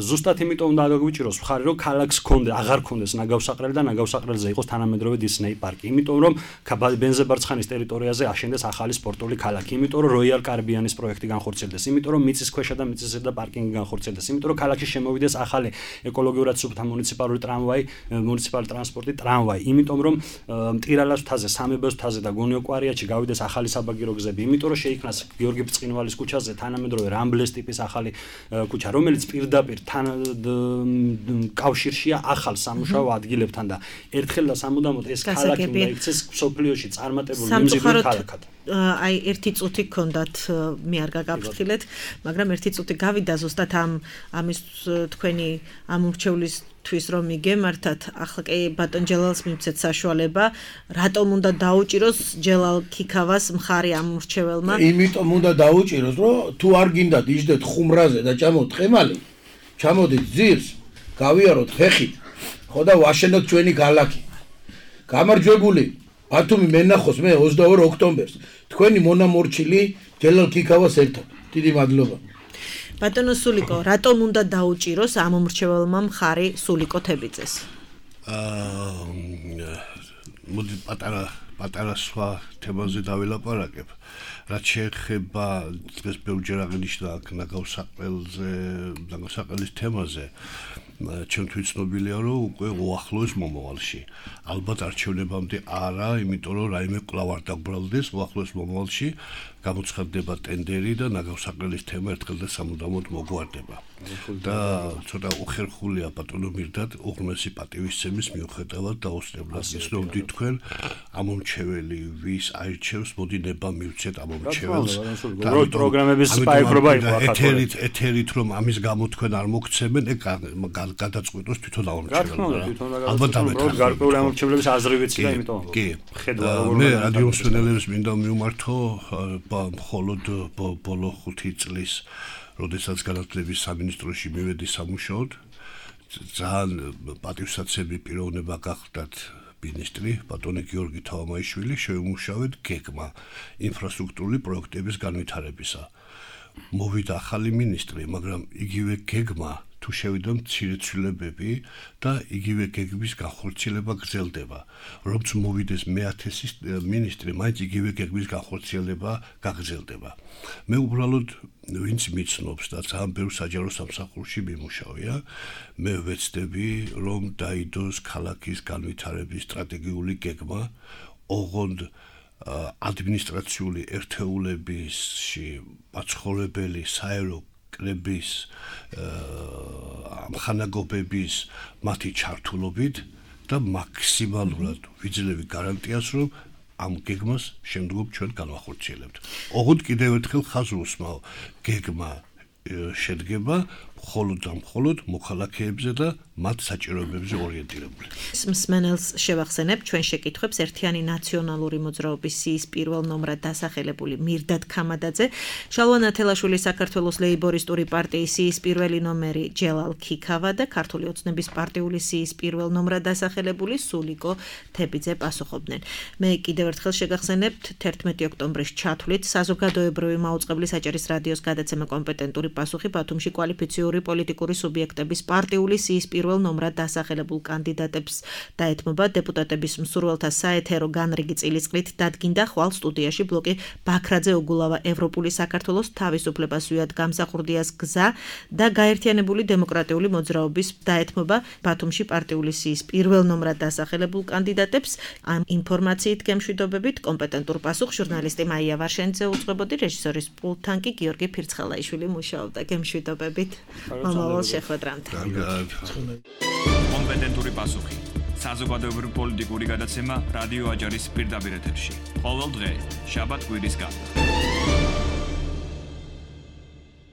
ზუსტად იმიტომ უნდა დაგვიჭიროს მხარი, რომ ქალაქს აღარ ქონდეს ნაგავსაყრელი და ნაგავსაყრელზე იყოს თანამედროვე დისნეი პარკი. იმიტომ რომ ბენზებარცხანის ტერიტორიაზე აშენდეს ახალი სპორტული ქალაქი, იმიტომ რომ როიალ კარიბიანის პროექტი განხორციელდეს, იმიტომ რომ მიწისქვეშა და მიწისზედა პარკინგი განხორციელდეს, იმიტომ რომ ქალაქში შემოვიდეს ახალი ეკოლოგიურად სუფთა მუნიციპალური ტრამვაი, მუნიციპალური ტრანსპორტი, ტრამვაი, იმიტომ რომ მტირალას მთაზე, სამებოს მთაზე და გონიო-კვარიათში გავიდეს ახალი საბაგირო გზები, იმიტომ რომ შეიქმნას გიორგი ბრწყინვალის ქუჩაზე თანამედროვე რამბლეს ტიპის ახალი ქუჩა, რომელიც პირდაპირ კავშირშია ახალ სამუშაო ადგილებთან და ერთხელ და სამუდამოდ ეს ქალაქი უნდა იქცეს სოფლიოში წარმატებული მიმზიდველი ქალაქად. აი ერთი წუთი გქონდათ, მე არ გაგაფრთხილეთ, მაგრამ ერთი წუთი გავიდა ზუსტად ამის თქვენი ამ მრჩევლის თვის რომ მიგემართათ, ახლა კი ბატონ ჯელალს მივცეთ საშუალება, რატომ უნდა დაუჭიროს ჯელალ ქიქავას მხარი ამ მრჩეველმა? იმიტომ უნდა დაუჭიროს, რომ თუ არ გინდათ იждეთ ხუმრაზე და ჭამოთ ყემალი, ჩამოდით ძირს, გავიაროთ ფეხით, ხო და ვაშენოთ ჩვენი ქალაქი. გამარჯვებული ბათუმი მენახოს მე 22 ოქტომბერს თქვენი მონამორჩილი ჯელალ ქიქავას ერთად. დიდი მადლობა. ბატონო სულიკო, რატომ უნდა დაუჭიროს ამ მომრჩეველმა მხარი სულიკო თებიძეს? მოდი პატარა სხვა თემაზე დავილაპარაკებ. რაც შეეხება დღეს ბევრჯერ აღნიშნა აქ ნაგავსაყელის თემაზე, ჩემთვის ცნობილია, რომ უკვე უახლოეს მომავალში. ალბათ არჩევნებამდე არა, იმიტომ რომ რაიმე კვლავ არ დაგბრალდეს უახლოეს მომავალში, გამოცხადდება ტენდერი და ნაგავსაყელის თემა ერთხელ და სამუდამოდ მოგვარდება. და ცოტა უხერხულია ბატონო მირდად უღრმესი პატივისცემის მიუხედავად დაუსწრებლად გიცნობდით თქვენ ამომრჩეველი ვის აირჩევს, მოდი ნება მივცეთ ამომრჩეველს. და პროგრამების სპაიხრობა იყო ახლა. ეთერით რომ ამის გამო თქვენ არ მოგცემენ, გადაწყვეტოს თვითონ ამომრჩეველს. ალბათ ამეთქვა. გარკვეული ამომრჩევლების აზრი ვიცი და იმიტომ. კი. ხედვა მე რადიო მსმენელებს მინდა მივმართო მხოლოდ ბოლო 5 წლის როდესაც განათლების სამინისტროში მივედი სამუშაოდ, ძალიან პატივსაცემი პიროვნება გახდათ მინისტრი ბატონი გიორგი თავამაიშვილი, შევიმუშავეთ გეგმა ინფრასტრუქტურული პროექტების განვითარებისა. მოვიდა ახალი მინისტრი, მაგრამ იგივე გეგმა თუ შევიდა მცირე ცვლილებები და იგივე გეგმის განხორციელება გრძელდება. რომც მოვიდეს მე-1000-ის მინისტრი, მაინც იგივე გეგმის განხორციელება გაგრძელდება. მე უბრალოდ ვინც მიცნობს და ძალიან ბევრ საჯარო სამსახურში მიმუშავია, მე ვეცდები, რომ დაიდოს ქალაქის განვითარების სტრატეგიული გეგმა, ოღონდ ადმინისტრაციული ერთეულებისში მაცხოვრებელი საერო კრების ამხანაგობების მათი ჩართულობით და მაქსიმალურად ვიძლევი გარანტიას, რომ ამ გეგმას შემდგომ ჩვენ განვახორციელებთ. ოღონდ კიდევ ერთხელ ხაზს უსმავ, გეგმა შედგება მხოლოდ მოქალაქეებზე და მათ საჭიროებებზე ორიენტირებული. მსმენელს შევახსენებ ჩვენ შეკითხვებს ერთიანი ნაციონალური მოძრაობის სიის პირველ ნომრად დასახელებული მირდად ქამადაძე, შალვა ნათელაშვილი საქართველოს ლეიბორისტური პარტიის სიის პირველი ნომერი ჯელალ ქიქავა და ქართული ოცნების პარტიული სიის პირველ ნომრად დასახელებული სულიკო თებიძე პასუხობდნენ. მე კიდევ ერთხელ შეგახსენებთ 11 ოქტომბრის ჩათვლით საზოგადოებრივი მაუწყებლის საჭირის რადიოს გადაცემა კომპეტენტური პასუხი ბათუმში კვალიფიციური პოლიტიკური სუბიექტების პარტიული სიის პირველ ნომრად დასახელებულ კანდიდატებს დაეთმობა დეპუტატების მსურველთა საეთერო განრიგი წილისყრით დადგინდა ხვალ სტუდიაში ბლოკი ბაქრაძე ოგულავა ევროპული საქართველოს თავისუფლებას ვიად გამსახურდიას გზა და გაერთიანებული დემოკრატიული მოძრაობის დაეთმობა ბათუმში პარტიული სიის პირველ ნომრად დასახელებულ კანდიდატებს. ამ ინფორმაციით გემშვიდობებით კომპეტენტურ პასუხს ჟურნალისტი მაია ვარშენიძე უძღვებოდი, რეჟისორის პულტთან კი გიორგი ფირცხელაიშვილი მუშაობდა. გემშვიდობებით. მომავალ შეხვედრამდე. კომპეტენტური პასუხი. საზოგადოებრივი პოლიტიკური გადაცემა რადიო აჯარის პირდაპირ ეთერში. ყოველ დღე, შაბათ კვირის გარდა.